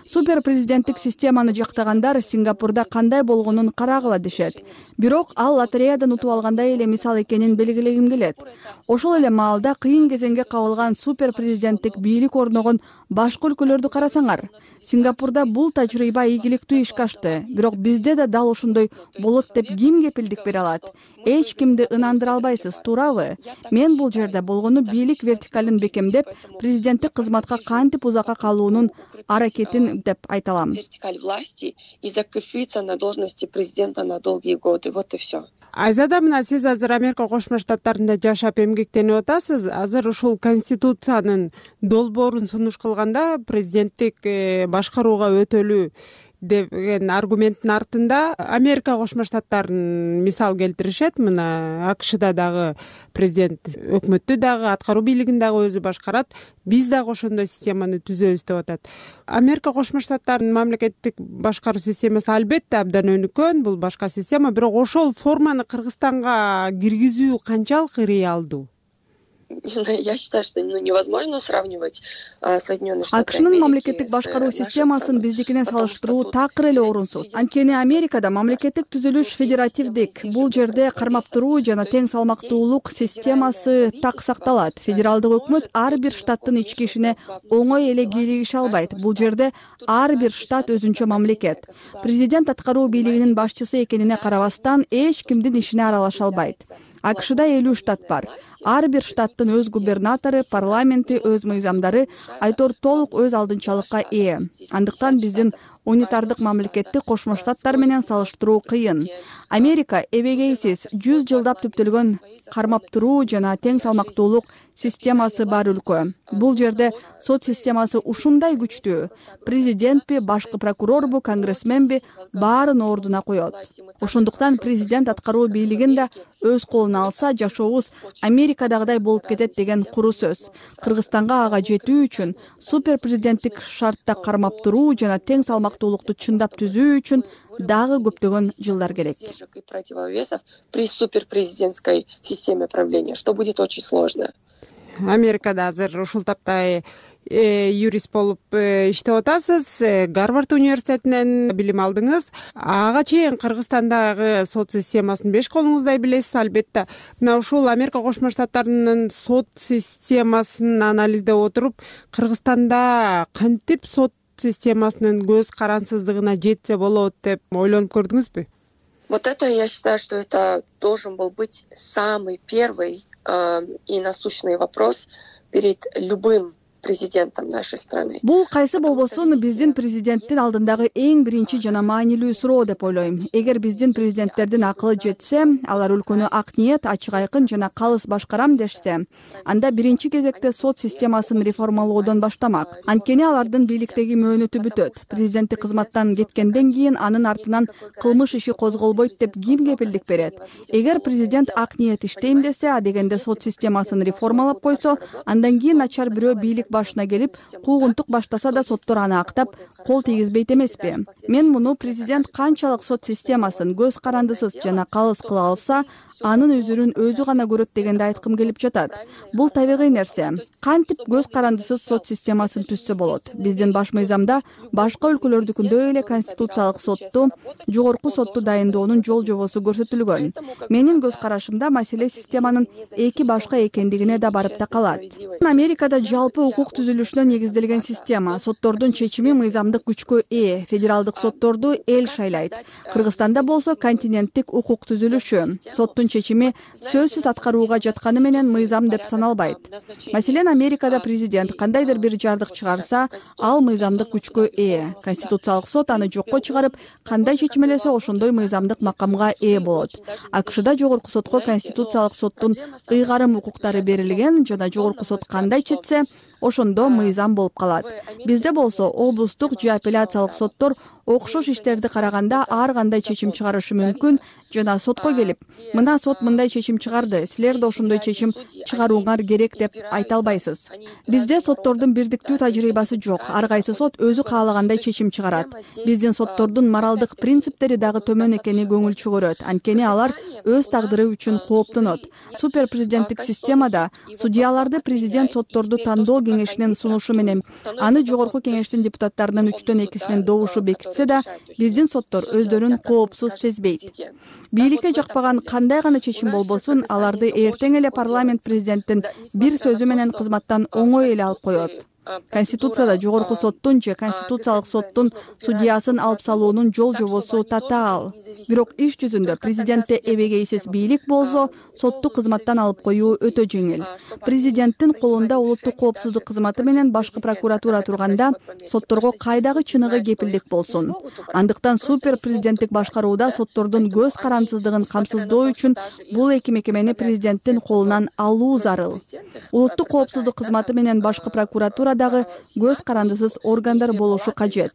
Супер президенттик системаны жактагандар Сингапурда кандай болгонун карагыла дешет. Бирок ал лотереядан утуп алгандай эле мисал экенин белгилегим келет. Ошол эле маалда кыйын кезеңге кабылган супер президенттик бийлик орногон башка өлкөлөрдү карасаңар. Сингапурда бул тажрыйба ийгиликтүү ишке ашты. Бирок бизде да дал ошондой болот деп ким кепилдик бере алат? Эч кимди ынандыра албайсыз, туурабы? Мен бул жерде болгону бийлик вертикалын бекемдеп, президенттик кызматка кантип узакка калуунун аракетин деп айта алам. Вертикаль власти и закрепиться на должности президента на долгие годы. Вот и все. Айзада, мына сиз азыр Америка Кошмо Штаттарында жашап эмгектенип атасыз. Азыр ушул конституциянын долбоорун сунуш кылганда президенттик башкарууга өтөлүү деген аргументтин артында Америка Кошмо Штаттарын мисал келтиришет. Мына АКШда дагы президент өкмөттү дагы, аткаруу бийлигин дагы өзү башкарат. Биз дагы ошондой системаны түзөбүз деп атат. Америка Кошмо Штаттарынын мамлекеттик башкаруу системасы албетте абдан өнүккөн, бул башка система, бирок ошол форманы Кыргызстанга киргизүү канчалык реалдуу? Я считаю, что ну, невозможно сравнивать а, Соединенные Штаты Америки. АКШнын мамлекеттик башкаруу системасын биздикине салыштыруу такыр эле орунсуз. Анткени Америкада мамлекеттик түзүлүш федеративдик. Бул жерде кармап туруу жана тең салмактуулук системасы так сакталат. Федералдык өкмөт ар бир штаттын ички ишине оңой эле кийлигише албайт. Бул жерде ар бир штат өзүнчө мамлекет. Президент аткаруу бийлигинин башчысы экенине карабастан эч кимдин ишине аралаша албайт. АКШда элүү штат бар. Ар бир штаттын өз губернатору, парламенти, өз мыйзамдары, айтор толук өз алдынчалыкка ээ. Андыктан биздин унитардык мамлекетти Кошмо Штаттар менен салыштыруу кыйын. Америка эбегейсиз жүз жылдап түптөлгөн кармап туруу жана тең салмактуулук системасы бар өлкө. Бул жерде сот системасы ушундай күчтүү. Президентпи, башкы прокурорбу, конгрессменби баарын ордуна коет. Ошондуктан президент аткаруу бийлигин да өз колуна алса, жашообуз Америкадагыдай болуп кетет деген куру сөз. Кыргызстанга ага жетүү үчүн супер президенттик шартта кармап туруу жана тең салмактуулукту чындап түзүү үчүн дагы көптөгөн жылдар керек. Противовесов при суперпрезидентской системе правления, что будет очень сложно. Америкада азыр ушул тапта юрист болуп иштеп атасыз. Гарвард университетинен билим алдыңыз. Ага чейин Кыргызстандагы сот системасын беш колуңуздай билесиз, албетте. Мына ушул Америка Кошмо Штаттарынын сот системасын анализдеп отуруп, Кыргызстанда кантип сот системасынын көз карансыздыгына жетсе болот деп ойлонуп көрдүңүзбү? Вот это, я считаю, что это должен был быть самый первый э, и насущный вопрос перед любым президентом нашей страны. Бул кайсы болбосун биздин президенттин алдындагы эң биринчи жана маанилүү суроо деп ойлойм. Эгер биздин президенттердин акылы жетсе, алар өлкөнү ак ниет, ачык айкын жана калыс башкарам дешсе, анда биринчи кезекте сот системасын реформалоодон баштамак. Анткени алардын бийликтеги мөөнөтү бүтөт. Президенттик кызматтан кеткенден кийин анын артынан кылмыш иши козголбойт деп ким кепилдик берет? Эгер президент ак ниет иштейм десе, а дегенде сот системасын реформалап койсо, андан кийин начар бирөө бийлик башына келип, куугунтук баштаса да соттор аны актап, кол тийгизбейт эмеспи? Мен муну президент канчалык сот системасын көз карандысыз жана калыс кыла алса, анын өзүрүн өзү гана көрөт дегенди айткым келип жатат. Бул табигый нерсе. Кантип көз карандысыз сот системасын түзсө болот? Биздин баш мыйзамда башка өлкөлөрдүкүндөй эле конституциялык сотту, жогорку сотту дайындоонун жол жобосу көрсөтүлгөн. Менин көз карашымда маселе системанын эки башка экендигине да барып такалат. Америкада жалпы укук түзүлүшүнө негизделген система. Соттордун чечими мыйзамдык күчкө ээ. Федералдык сотторду эл шайлайт. Кыргызстанда болсо континенттик укук түзүлүшү. Соттун чечими сөзсүз аткарууга жатканы менен мыйзам деп саналбайт. Маселен, Америкада президент кандайдыр бир жардык чыгарса, ал мыйзамдык күчкө ээ. Конституциялык сот аны жокко чыгарып, кандай чечим элесе ошондой мыйзамдык макамга ээ болот. АКШда жогорку сотко конституциялык соттун ыйгарым укуктары берилген жана жогорку сот кандай чечсе, ошондо мыйзам болуп калат. Бизде болсо облустук же апелляциялык соттор окшош иштерди караганда ар кандай чечим чыгарышы мүмкүн жана сотко келип, мына сот мындай чечим чыгарды, силер да ошондой чечим чыгарууңар керек деп айта албайсыз. Бизде соттордун бирдиктүү тажрыйбасы жок. Ар кайсы сот өзү каалагандай чечим чыгарат. Биздин соттордун моралдык принциптери дагы төмөн экени көңүл чөгөрөт. Анткени алар өз тагдыры үчүн кооптонот. Супер президенттик системада судьяларды президент сотторду тандоо кеңешинин сунушу менен, аны жогорку кеңештин депутаттарынын үчтөн экисинин добушу бекитсе да, биздин соттор өздөрүн коопсуз сезбейт. Бийликке жакпаган кандай гана чечим болбосун, аларды эртең эле парламент президенттин бир сөзү менен кызматтан оңой эле алып коет. Конституцияда жогорку соттун же конституциялык соттун судьясын алып салуунун жол жобосу татаал. Бирок иш жүзүндө президентте эбегейсиз бийлик болсо, сотту кызматтан алып коюу өтө жеңил. Президенттин колунда улуттук коопсуздук кызматы менен башкы прокуратура турганда, сотторго кайдагы чыныгы кепилдик болсун. Андыктан супер президенттик башкарууда соттордун көз карандысыздыгын камсыздоо үчүн бул эки мекемени президенттин колунан алуу зарыл. Улуттук коопсуздук кызматы менен башкы прокуратура дагы көз карандысыз органдар болушу кажет.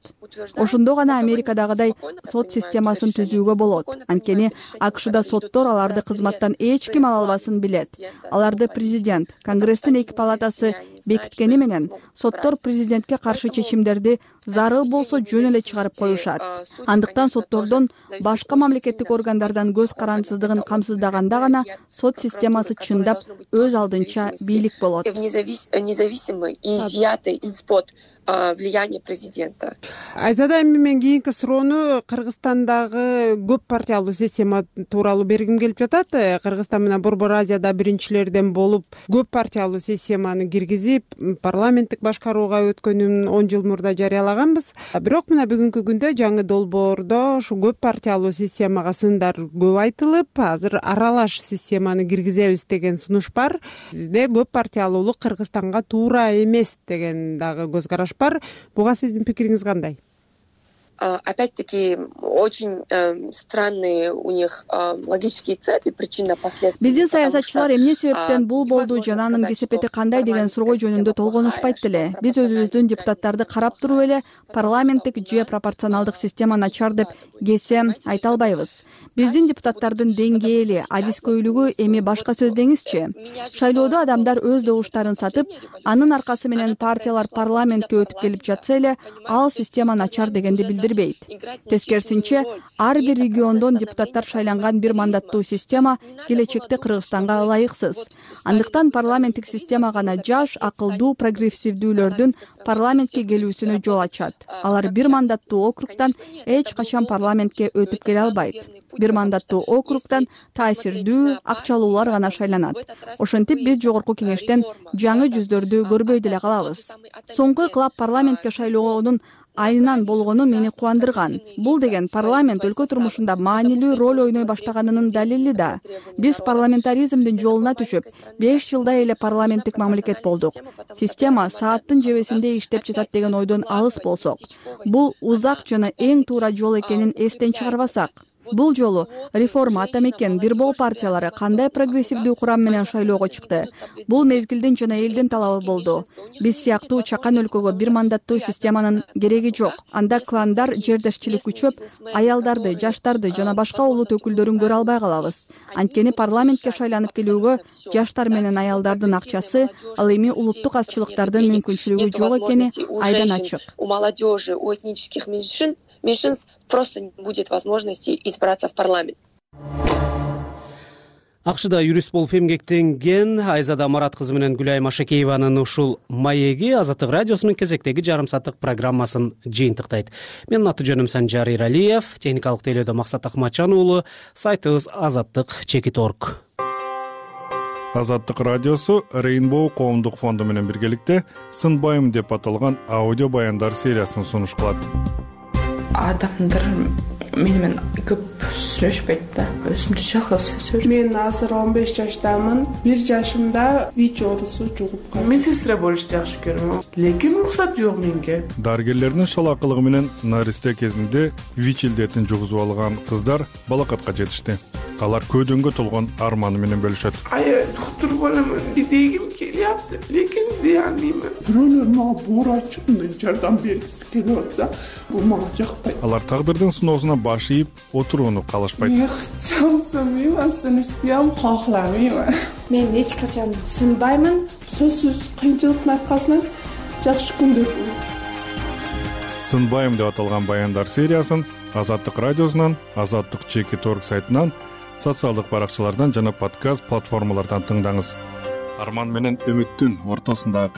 Ошондо гана Америкадагыдай сот системасын түзүүгө болот. Анткени АКШда соттор аларды кызматтан эч ким ала албасын билет. Аларды президент, Конгресстин эки палатасы бекиткени менен соттор президентке каршы чечимдерди зарыл болсо жөн эле чыгарып коюшат. Андыктан соттордон башка мамлекеттик органдардан көз карандысыздыгын камсыздаганда гана сот системасы чындап өз алдынча бийлик болот. Независимый и изъятый из-под влияния президента. Айзада, эми мен кийинки суроону Кыргызстандагы көп партиялуу система тууралуу бергим келип жатат. Кыргызстан менен Борбор Азияда биринчилерден болуп, көп партиялуу системаны киргизип, парламенттик башкарууга өткөнүн он жыл мурда жарыялаганбыз. Бирок мына бүгүнкү күндө жаңы долбоордо ушу көп партиялуу системага сындар көп айтылып, азыр аралаш системаны киргизебиз деген сунуш бар. Бизде көп партиялуулук Кыргызстанга туура эмес деген дагы көз караш бар. Буга сиздин пикириңиз кандай? Опять-таки, очень э, странные у них э, логические цепи, причинно-последственные. Биздин саясатчылар эмне себептен бул болду жана анын кесепети кандай деген суроо жөнүндө толгонушпайт деле. Биз өзүбүздүн депутаттарды карап туруп эле парламенттик же пропорционалдык система начар деп кесе айта албайбыз. Биздин депутаттардын деңгээли, адискөйлүгү эми башка сөз деңизчи. Шайлоодо адамдар өз добуштарын сатып, анын аркасы менен партиялар парламентке өтүп келип жатса эле, ал система начар дегенди билдирбейт. Тескерисинче, ар бир региондон депутаттар шайланган бир мандаттуу система келечекте Кыргызстанга ылайыксыз. Андыктан парламенттик система гана жаш, акылдуу, прогрессивдүүлөрдүн парламентке келүүсүнө жол ачат. Алар бир мандаттуу округтан эч качан парламентке өтүп келе албайт. Бир мандаттуу округтан таасирдүү, акчалуулар гана шайланат. Ошентип биз жогорку кеңештен жаңы жүздөрдү көрбөй деле калабыз. Соңку ыкылап парламентке шайлоонун айынан болгону мени кубандырган. Бул деген парламент өлкө турмушунда маанилүү роль ойной баштаганынын далили да. Биз парламентаризмдин жолуна түшүп, беш жылдай эле парламенттик мамлекет болдук. Система сааттын жебесинде иштеп жатат деген ойдон алыс болсок, бул узак жана эң туура жол экенин эстен чыгарбасак, бул жолу реформа ата мекен бир бол партиялары кандай прогрессивдүү курам менен шайлоого чыкты? Бул мезгилдин жана элдин талабы болду. Биз сыяктуу чакан өлкөгө бир мандаттуу системанын кереги жок. Анда кландар жердешчилик күчөп, аялдарды, жаштарды жана башка улут өкүлдөрүн көрө албай калабыз. Анткени парламентке шайланып келүүгө жаштар менен аялдардын акчасы, ал эми улуттук азчылыктардын мүмкүнчүлүгү жок экени айдан ачык. У молодежи, у этнических меньшин меньшинств просто не будет возможности избраться в парламент. Акшда юрист болуп эмгектенген Айзада Марат кызы менен Гүлай Машакееванын ушул маеги Азаттык радиосунун кезектеги жарым сааттык программасын жыйынтыктайт. Менин аты жөнүм Санжар Иралиев, техникалык тейлөөдө Максат Акматжан уулу, сайтыбыз азаттык чекит орг. Азаттык радиосу Rainbow коомдук фонду менен биргеликте Сынбайм деп аталган аудио баяндар сериясын сунуш кылат. Адамдар менен көп сүйлөшпөйт да. Өзүмдү жалгыз сүйлөшөм. Мен азыр он беш жаштамын. бир жашымда ВИЧ оорусу жугуп калды. Медсестра болушту жакшы көрөм. Лекин уруксат жок менге. Дарыгерлердин шалакылыгы менен наристе кезинде ВИЧ илдетин жугузуп алган кыздар балакатка жетишти. Алар көдөнгө толгон арманы менен бөлүшөт. Ай, доктор боломун дегим келиапты, лекин дей албаймын. Бирөөлөр мага боор ачып, жардам бергиси келип атса, бул мага жакпайт. Алар тагдырдын сыноосуна баш ийип, отурууну каалашпайт. Мен чамсымайм, сынышты кохламайм. Мен эч качан сынбаймын. Сөзсүз кыйынчылыктын аркасынан жакшы күндөр болот. Сынбайм деп аталган баяндар сериясын Азаттык радиосунан, Азаттык чекит орг сайтынан, социалдык баракчалардан жана подкаст платформалардан тыңдаңыз. Арман менен үмүттүн ортосундагы